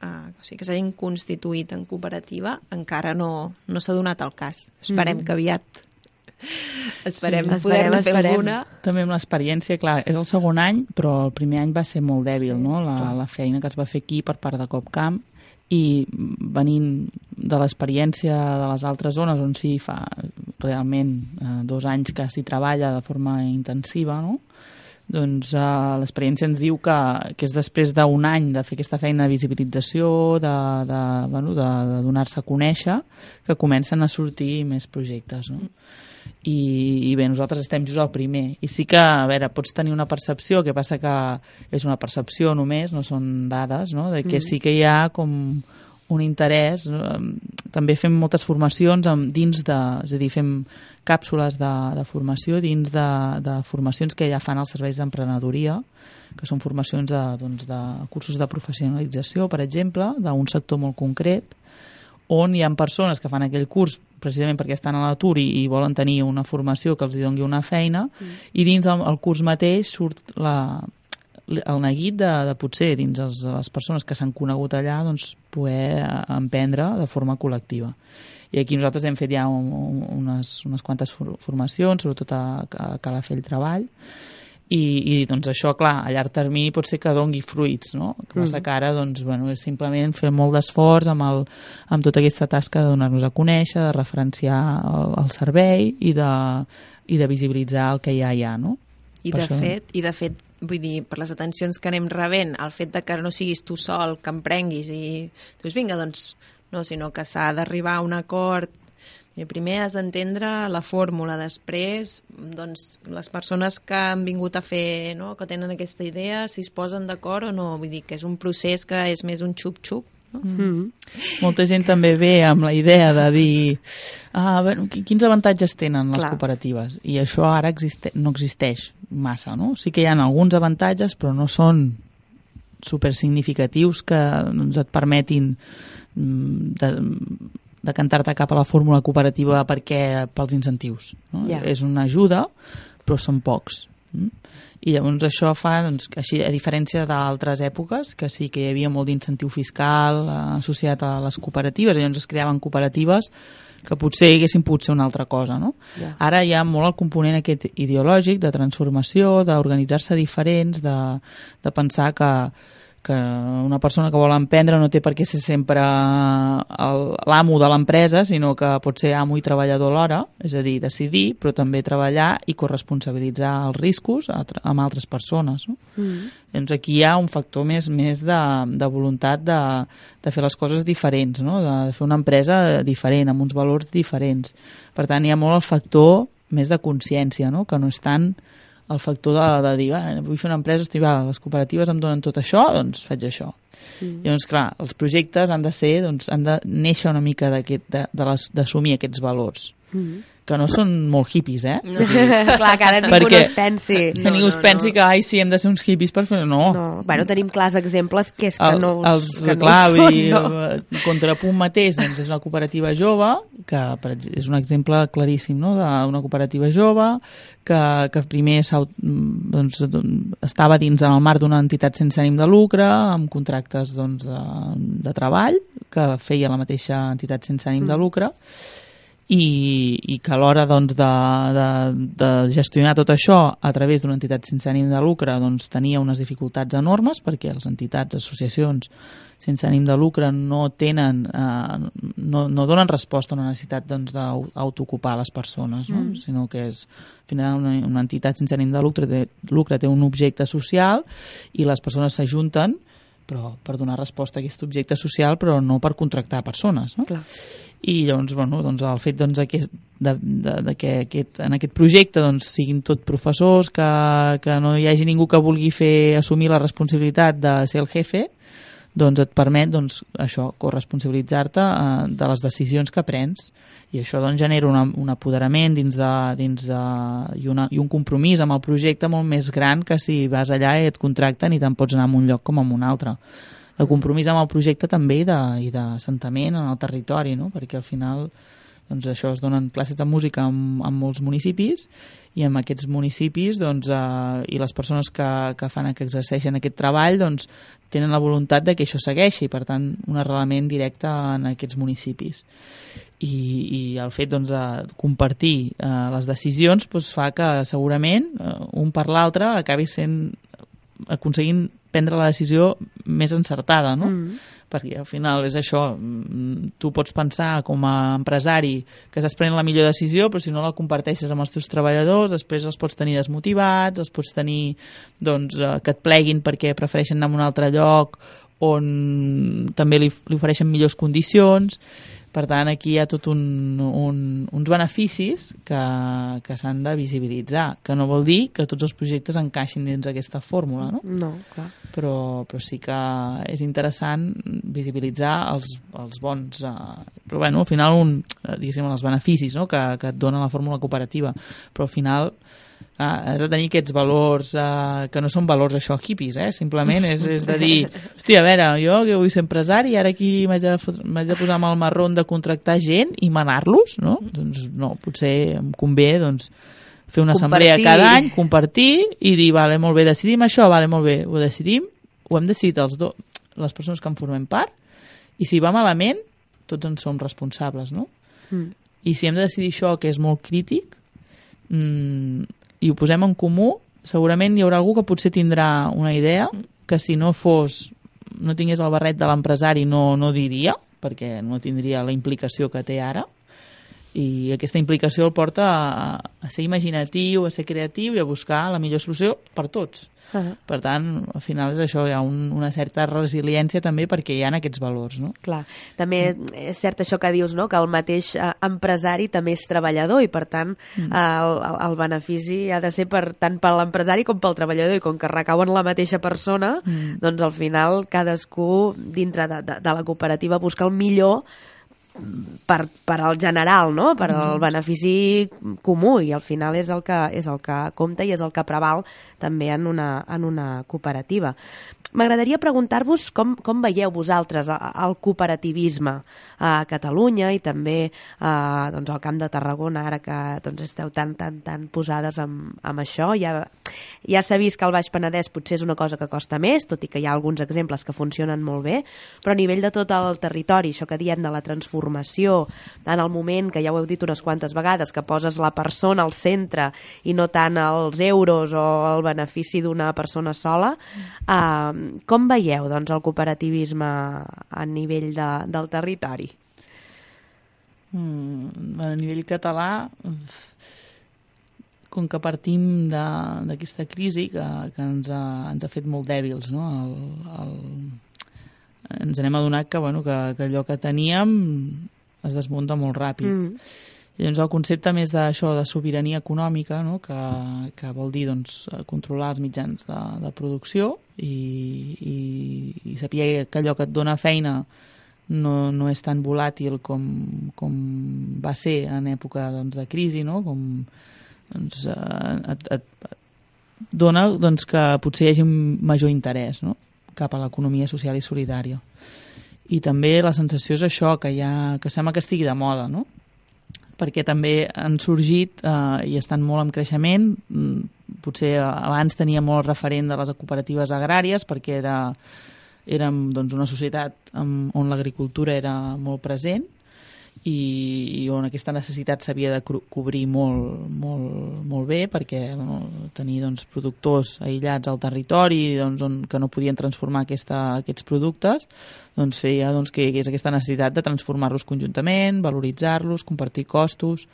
o sigui, que s'hagin constituït en cooperativa, encara no s'ha donat el cas. Esperem que aviat Esperem poder-ne fer alguna. També amb l'experiència, clar, és el segon any, però el primer any va ser molt dèbil, no? La feina que es va fer aquí per part de COPCAM, i venint de l'experiència de les altres zones on sí fa realment 2 anys que s'hi treballa de forma intensiva, no? Doncs l'experiència ens diu que és després d'un any de fer aquesta feina de visibilització, de donar-se a conèixer, que comencen a sortir més projectes, no? I bé, nosaltres estem just al primer. I sí que, a veure, pots tenir una percepció, que passa que és una percepció només, no són dades, no? De que sí que hi ha com un interès. També fem moltes formacions dins de... És a dir, fem càpsules de formació dins de formacions que ja fan els serveis d'emprenedoria, que són formacions de cursos de professionalització, per exemple, d'un sector molt concret, on hi ha persones que fan aquell curs precisament perquè estan a l'atur i volen tenir una formació que els doni una feina, i dins el curs mateix surt el neguit de potser dins les persones que s'han conegut allà doncs, poder emprendre de forma col·lectiva. I aquí nosaltres hem fet ja unes quantes formacions, sobretot a Calafell Treball, i doncs això, clar, a llarg termini pot ser que dongui fruits, no? Que passa que ara, doncs, bueno, és simplement fer molt d'esforç amb tota aquesta tasca de donar-nos a conèixer, de referenciar el servei i de visibilitzar el que ja hi ha, no? I de fet, vull dir, per les atencions que anem rebent, el fet de que no siguis tu sol, que emprenguis i dius, vinga, doncs, no, sinó que s'ha d'arribar a un acord. Primer has d'entendre la fórmula, després doncs, les persones que han vingut a fer, no? Que tenen aquesta idea, si es posen d'acord o no, vull dir que és un procés que és més un xup-xup. No? Molta gent també ve amb la idea de dir bueno, quins avantatges tenen les cooperatives, i això ara no existeix massa, no? Sí que hi ha alguns avantatges, però no són supersignificatius que doncs, et permetin decantar-te cap a la fórmula cooperativa pels incentius, no? És una ajuda, però són pocs. I llavors això fa, doncs, així, a diferència d'altres èpoques, que sí que hi havia molt d'incentiu fiscal associat a les cooperatives, llavors es creaven cooperatives que potser haguessin pogut ser una altra cosa, no? Ara hi ha molt el component aquest ideològic de transformació, d'organitzar-se diferents, de pensar que una persona que vol emprendre no té per què ser sempre l'amo de l'empresa, sinó que pot ser amo i treballador alhora, és a dir, decidir, però també treballar i corresponsabilitzar els riscos amb altres persones, no? Doncs aquí hi ha un factor més de voluntat de fer les coses diferents, no? De fer una empresa diferent, amb uns valors diferents. Per tant, hi ha molt el factor més de consciència, no? Que no és tant el factor de dir, vull fer una empresa, les cooperatives em donen tot això, doncs faig això. Llavors, clar, els projectes han de ser, doncs, han de néixer una mica d'assumir aquests valors. Que no són molt hippies, No. Clar, que ara ningú no es pensi. Que ningú es pensi que, sí, hem de ser uns hippies per fer... No. Bueno, tenim clars exemples que és que no són. Contrapunt mateix, doncs, és una cooperativa jove, que és un exemple claríssim, no?, d'una cooperativa jove que primer doncs, estava dins en el marc d'una entitat sense ànim de lucre, amb contractes doncs, de treball, que feia la mateixa entitat sense ànim de lucre, i que a l'hora doncs, de gestionar tot això a través d'una entitat sense ànim de lucre doncs, tenia unes dificultats enormes, perquè les entitats, associacions sense ànim de lucre no donen resposta a una necessitat doncs, d'autoocupar les persones, no? Sinó que és, al final, una entitat sense ànim de lucre té un objecte social i les persones s'ajunten per donar resposta a aquest objecte social, però no per contractar persones, no? Clar. I llavors, bueno, doncs el fet doncs, que en aquest projecte doncs, siguin tot professors, que no hi hagi ningú que vulgui assumir la responsabilitat de ser el jefe, doncs et permet doncs, això, corresponsabilitzar-te de les decisions que prens, i això doncs, genera un apoderament i un compromís amb el projecte molt més gran que si vas allà i et contracten i te'n pots anar a un lloc com a un altre. El compromís amb el projecte també i d'assentament en el territori, no? Perquè al final doncs això, es donen classes de música en molts municipis, i en aquests municipis doncs, i les persones que exerceixen aquest treball doncs, tenen la voluntat de que això segueixi, per tant un arrelament directe en aquests municipis. I el fet doncs, de compartir les decisions doncs, fa que segurament un per l'altre acabi aconseguint prendre la decisió més encertada, no? Perquè al final és això, tu pots pensar com a empresari que estàs prenent la millor decisió, però si no la comparteixes amb els teus treballadors, després els pots tenir desmotivats, els pots tenir doncs, que et pleguin perquè prefereixen anar a un altre lloc on també li ofereixen millors condicions. Per tant, aquí hi ha tot uns beneficis que s'han de visibilitzar, que no vol dir que tots els projectes encaixin dins aquesta fórmula, no? No, clar. Però sí que és interessant visibilitzar els bons... Però bueno, al final, diguéssim, els beneficis, no? que et dona la fórmula cooperativa. Però al final has de tenir aquests valors que no són valors això hippies, simplement és de dir, hòstia, a veure, jo que vull ser empresari i ara aquí m'haig de posar amb el marrón de contractar gent i manar-los, no? Doncs no, potser em convé doncs, fer una assemblea cada any, compartir i dir, vale, molt bé, decidim això, vale, molt bé, ho decidim, ho hem decidit les persones que en formem part, i si va malament, tots en som responsables, no? I si hem de decidir això, que és molt crític, i ho posem en comú, segurament hi haurà algú que potser tindrà una idea que si no tingués el barret de l'empresari no diria, perquè no tindria la implicació que té ara, i aquesta implicació el porta a ser imaginatiu, a ser creatiu i a buscar la millor solució per tots. Per tant, al final és això, hi ha una certa resiliència també perquè hi ha aquests valors, no? Clar, també és cert això que dius, no? Que el mateix empresari també és treballador i per tant el benefici ha de ser tant per l'empresari com pel treballador, i com que recau en la mateixa persona, doncs al final cadascú dintre de la cooperativa busca el millor per al general, no? Per al benefici comú, i al final és el que compta i és el que preval també en una cooperativa. M'agradaria preguntar-vos com veieu vosaltres el cooperativisme a Catalunya i també doncs, al Camp de Tarragona, ara que doncs, esteu tan posades amb això. Ja s'ha vist que al Baix Penedès potser és una cosa que costa més, tot i que hi ha alguns exemples que funcionen molt bé, però a nivell de tot el territori, això que diem de la transformació, en el moment que ja ho heu dit unes quantes vegades, que poses la persona al centre i no tant els euros o el benefici d'una persona sola, com veieu doncs, el cooperativisme a nivell del territori? A nivell català, com que partim d'aquesta crisi que ens ha fet molt dèbils, no? Ens n'hem adonat que allò que teníem es desmunta molt ràpid. I doncs el concepte més d'això de sobirania econòmica, no? que vol dir doncs, controlar els mitjans de producció i saber que allò que et dona feina no és tan volàtil com va ser en època doncs, de crisi, no? Com doncs, et dona doncs, que potser hi hagi un major interès, no? Cap a l'economia social i solidària. I també la sensació és això, que sembla que estigui de moda, no? Perquè també han sorgit i estan molt en creixement. Potser abans tenia molt referent de les cooperatives agràries perquè érem doncs, una societat on l'agricultura era molt present i on aquesta necessitat s'havia de cobrir molt bé perquè tenir doncs, productors aïllats al territori doncs, que no podien transformar aquests productes doncs, feia doncs, que hi hagués aquesta necessitat de transformar-los conjuntament, valoritzar-los, compartir costos.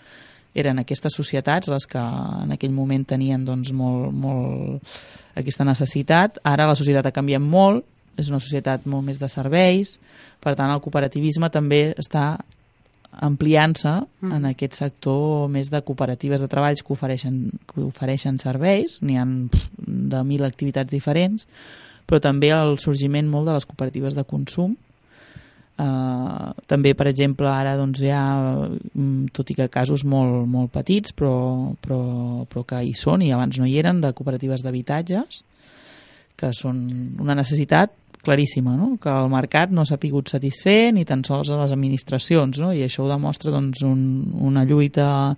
Eren aquestes societats les que en aquell moment tenien doncs, molt aquesta necessitat. Ara la societat ha canviat molt, és una societat molt més de serveis, per tant el cooperativisme també està ampliant-se en aquest sector més de cooperatives de treballs que ofereixen serveis, n'hi ha de 1.000 activitats diferents, però també el sorgiment molt de les cooperatives de consum. També, per exemple, ara doncs, hi ha, tot i que casos molt petits, però que hi són i abans no hi eren, de cooperatives d'habitatges, que són una necessitat claríssima, no? Que el mercat no s'ha pogut satisfer ni tan sols a les administracions, no? I això ho demostra doncs, una lluita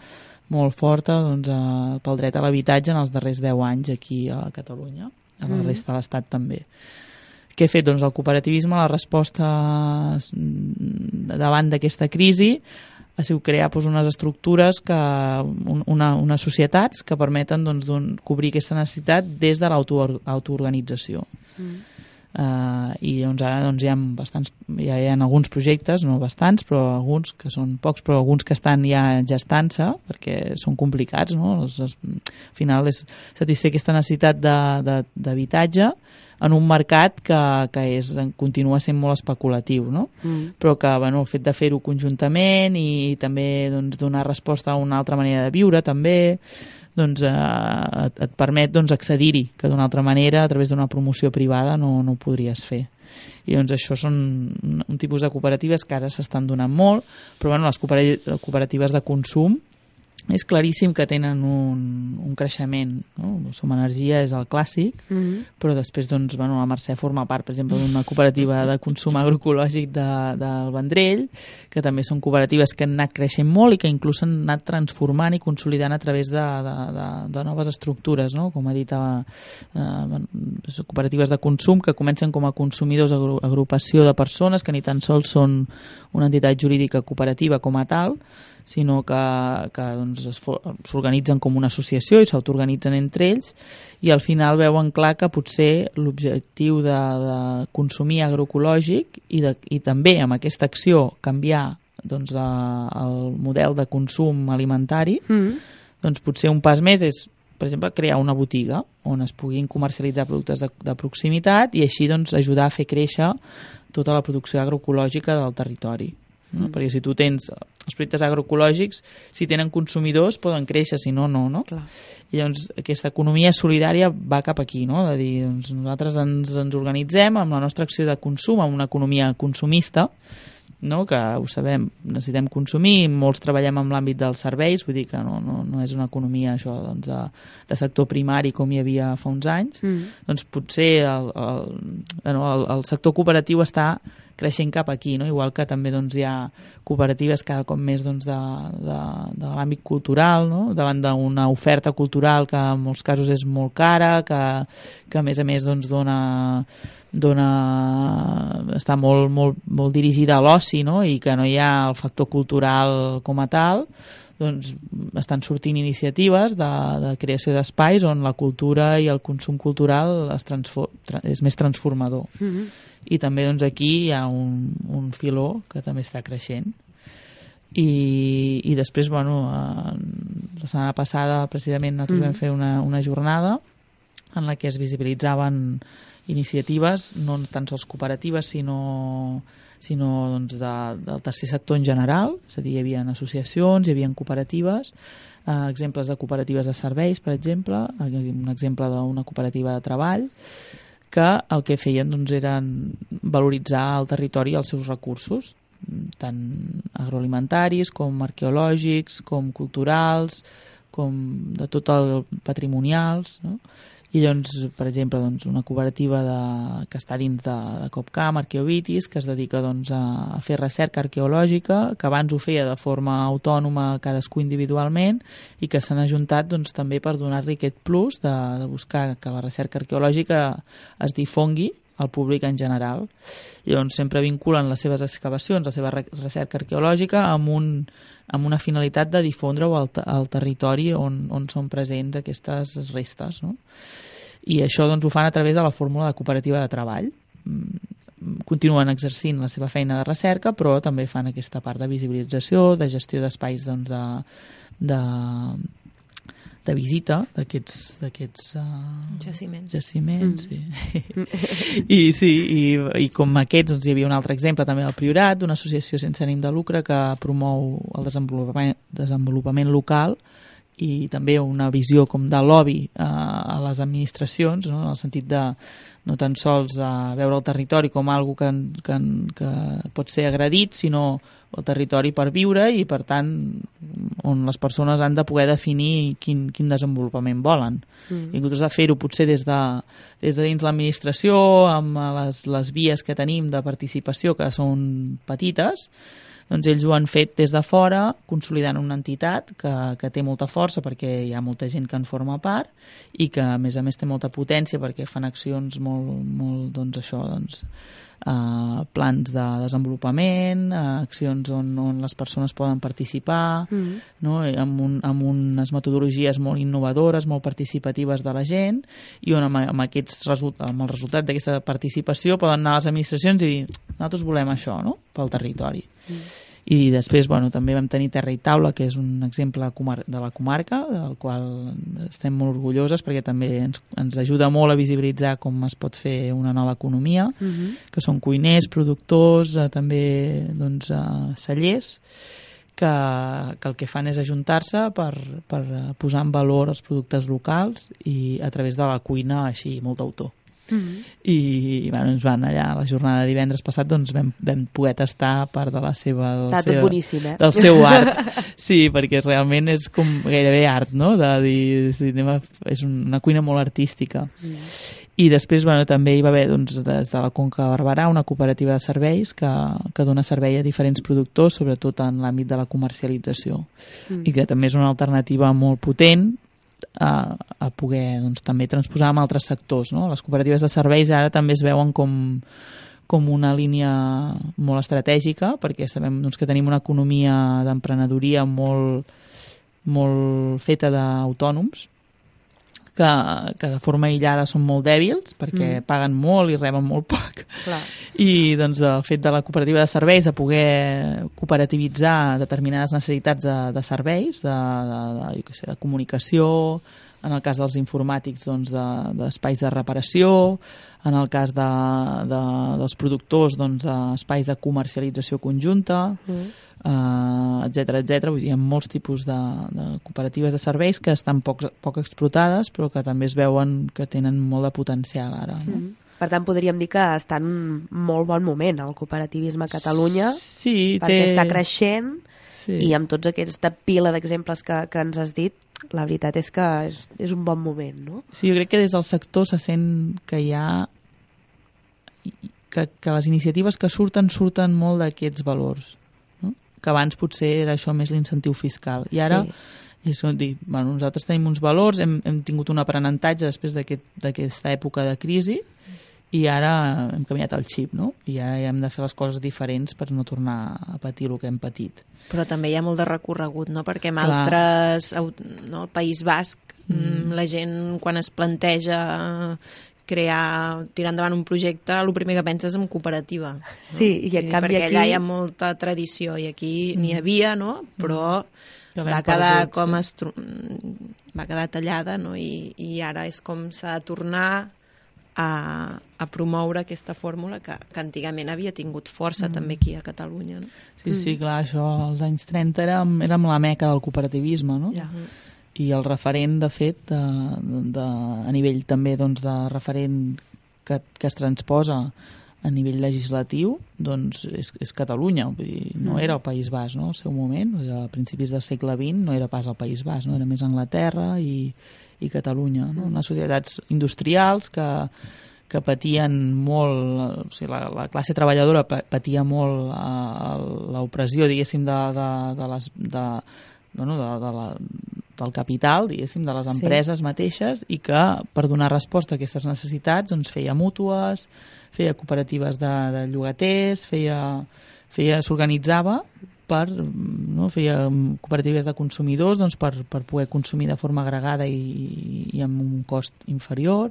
molt forta doncs, pel dret a l'habitatge en els darrers 10 anys aquí a Catalunya, a la resta de l'Estat també. Què ha fet? Doncs el cooperativisme, la resposta davant d'aquesta crisi ha sigut crear doncs, unes estructures, unes societats que permeten doncs, cobrir aquesta necessitat des de l'autoorganització. I doncs, ara doncs, hi ha alguns projectes, no bastants, però alguns que són pocs, però alguns que estan ja gestant-se, perquè són complicats, no? Al final és satisfer aquesta necessitat d'habitatge en un mercat que continua sent molt especulatiu, no? Però que el fet de fer-ho conjuntament i també doncs, donar resposta a una altra manera de viure també doncs, et permet doncs, accedir-hi, que d'una altra manera a través d'una promoció privada no ho podries fer. I doncs això són un tipus de cooperatives que ara s'estan donant molt, però les cooperatives de consum és claríssim que tenen un creixement, no? Som Energia és el clàssic, però després doncs, la Mercè forma part, per exemple, d'una cooperativa de consum agroecològic del Vendrell, que també són cooperatives que han anat creixent molt i que inclús s'han anat transformant i consolidant a través de noves estructures, no? Com ha dit, cooperatives de consum que comencen com a consumidors, agrupació de persones que ni tan sols són una entitat jurídica cooperativa com a tal, sinó que doncs, s'organitzen com una associació i s'autoorganitzen entre ells i al final veuen clar que potser l'objectiu de consumir agroecològic i també amb aquesta acció canviar doncs, el model de consum alimentari, doncs potser un pas més és, per exemple, crear una botiga on es puguin comercialitzar productes de proximitat i així doncs, ajudar a fer créixer tota la producció agroecològica del territori. No? Perquè si tu tens els productes agroecològics, si tenen consumidors poden créixer, si no, no. Clar. I llavors aquesta economia solidària va cap aquí, no? De dir, doncs, nosaltres ens organitzem amb la nostra acció de consum, amb una economia consumista, no? Que ho sabem, necessitem consumir, molts treballem en l'àmbit dels serveis, vull dir que no és una economia això, doncs, de sector primari com hi havia fa uns anys, doncs potser el sector cooperatiu està creixent cap aquí, no? Igual que també doncs, hi ha cooperatives cada cop més doncs, de l'àmbit cultural, no? Davant d'una oferta cultural que en molts casos és molt cara, que a més doncs, està molt dirigida a l'oci, no? I que no hi ha el factor cultural com a tal, doncs estan sortint iniciatives de creació d'espais on la cultura i el consum cultural és més transformador. I també doncs, aquí hi ha un filó que també està creixent. I després, la setmana passada precisament nosaltres vam fer una jornada en la que es visibilitzaven iniciatives, no tan sols cooperatives, sinó doncs, del tercer sector en general, és a dir, hi havia associacions, hi havia cooperatives, exemples de cooperatives de serveis, per exemple, un exemple d'una cooperativa de treball, que el que feien doncs, era valoritzar el territori i els seus recursos, tant agroalimentaris com arqueològics, com culturals, com de tot el patrimonials, no? I doncs, per exemple, doncs, una cooperativa que està dins de Copcam, Arqueovitis, que es dedica doncs, a fer recerca arqueològica, que abans ho feia de forma autònoma cadascú individualment i que s'han ajuntat doncs, també per donar-li aquest plus de buscar que la recerca arqueològica es difongui al públic en general. I llavors sempre vinculen les seves excavacions, la seva recerca arqueològica amb una finalitat de difondre-ho al territori on són presents aquestes restes, no? I això doncs, ho fan a través de la fórmula de cooperativa de treball. Continuen exercint la seva feina de recerca, però també fan aquesta part de visibilització, de gestió d'espais doncs, de visita d'aquests jaciments. I com aquests doncs, hi havia un altre exemple també al Priorat, d'una associació sense ànim de lucre que promou el desenvolupament local i també una visió com de lobby a les administracions, no? En el sentit de no tan sols veure el territori com algo que pot ser agredit, sinó el territori per viure i, per tant, on les persones han de poder definir quin desenvolupament volen. I en comptes de fer-ho potser des de dins l'administració, amb les vies que tenim de participació, que són petites, doncs ells ho han fet des de fora, consolidant una entitat que té molta força perquè hi ha molta gent que en forma part i que a més té molta potència perquè fan accions molt doncs això, plans de desenvolupament, accions on les persones poden participar, no? amb unes metodologies molt innovadores, molt participatives de la gent, i on amb el resultat d'aquesta participació poden anar a les administracions i dir, nosaltres volem això, no?, pel territori. I després també vam tenir Terra i Taula, que és un exemple de la comarca, del qual estem molt orgulloses perquè també ens ajuda molt a visibilitzar com es pot fer una nova economia, que són cuiners, productors, també cellers, que el que fan és ajuntar-se per posar en valor els productes locals i a través de la cuina així molt d'autor. I ens van allà a la jornada de divendres passat, vam poder tastar part de la seva boníssim, del seu art. Sí, perquè realment és com gairebé art, no?, de dir, és una cuina molt artística. I després també hi va haver des de la Conca de Barberà una cooperativa de serveis que dona servei a diferents productors, sobretot en l'àmbit de la comercialització, i que també és una alternativa molt potent a poder també transposar en altres sectors, no? Les cooperatives de serveis ara també es veuen com una línia molt estratègica, perquè sabem que tenim una economia d'emprenedoria molt feta d'autònoms, que de forma aïllada són molt dèbils perquè paguen molt i reben molt poc. Clar. I el fet de la cooperativa de serveis, de poder cooperativitzar determinades necessitats de serveis, de comunicació, en el cas dels informàtics d'espais de reparació, en el cas dels productors espais de comercialització conjunta, etcètera. Vull dir, hi ha molts tipus de cooperatives de serveis que estan poc explotades, però que també es veuen que tenen molt de potencial ara. No? Per tant, podríem dir que està en molt bon moment el cooperativisme a Catalunya, perquè està creixent, i amb tots aquesta pila d'exemples que ens has dit, la veritat és que és un bon moment, no? Sí, jo crec que des del sector se sent que hi ha que les iniciatives que surten molt d'aquests valors, no? Que abans potser era això més l'incentiu fiscal, i ara és dir, nosaltres tenim uns valors, hem tingut un aprenentatge després d'aquesta època de crisi, i ara hem canviat el xip, no? I ara hem de fer les coses diferents per no tornar a patir el que hem patit. Però també hi ha molt de recorregut, no? Perquè en altres, no, el País Basc, la gent quan es planteja tirar endavant un projecte, el primer que pensa és en cooperativa. No? Sí, i en canvi perquè allà hi ha molta tradició i aquí n'hi havia, no? Però va quedar va quedar tallada, no? I ara és com s'ha de tornar a promoure aquesta fórmula que antigament havia tingut força també aquí a Catalunya. No? Sí, clar, això als anys 30 érem la meca del cooperativisme, no? I el referent, de fet, a nivell també de referent que es transposa a nivell legislatiu, doncs és Catalunya, vull dir, no era el País Basc, no? Al seu moment, a principis del segle XX no era pas el País Basc, no? Era més Anglaterra i Catalunya, no? Unes societats industrials que patien molt, o sigui, la classe treballadora patia molt l'opressió, diguéssim, del capital, diguéssim, de les empreses mateixes, i que per donar resposta a aquestes necessitats feia mútues, feia cooperatives de llogaters, s'organitzava feia cooperatives de consumidors per poder consumir de forma agregada i amb un cost inferior,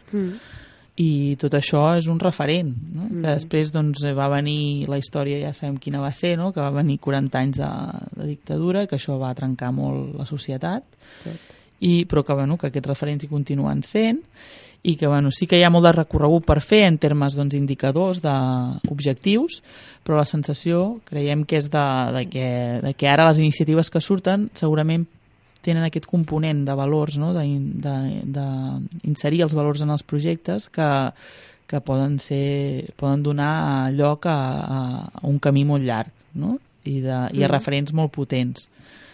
i tot això és un referent, no? Que després va venir la història, ja sabem quina va ser, no? Que va venir 40 anys de dictadura, que això va trencar molt la societat, però que aquests referents hi continuen sent, i que sí que hi ha molt de recorregut per fer en termes indicadors, d'objectius, però la sensació creiem que és de que ara les iniciatives que surten segurament tenen aquest component de valors, no? D'inserir els valors en els projectes que poden donar lloc a un camí molt llarg, no? I a referents molt potents.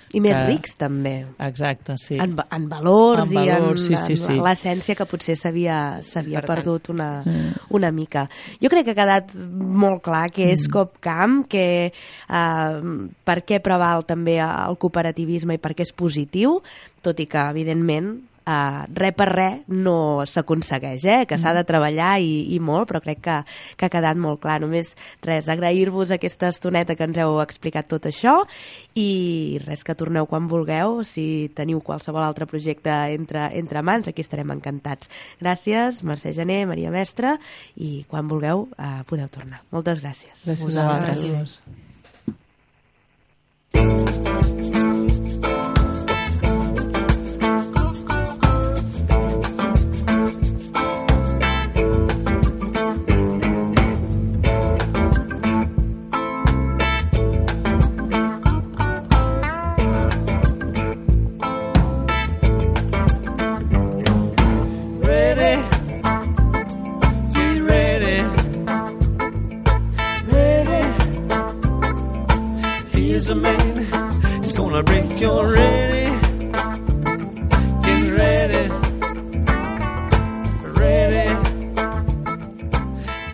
I més rics, també. Exacte, sí. En valors i en sí. l'essència que potser s'havia perdut una mica. Jo crec que ha quedat molt clar que és CoopCamp, que per què preval també el cooperativisme i per què és positiu, tot i que, evidentment, res per res no s'aconsegueix, que s'ha de treballar i molt, però crec que ha quedat molt clar. Només res, agrair-vos aquesta estoneta que ens heu explicat tot això i res, que torneu quan vulgueu. Si teniu qualsevol altre projecte entre mans, aquí estarem encantats. Gràcies, Mercè Gené, Maria Mestre, i quan vulgueu podeu tornar. Moltes gràcies. Gràcies a vosaltres. A man, he's gonna break your ready. Get ready, ready.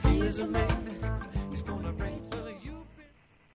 Here's a man.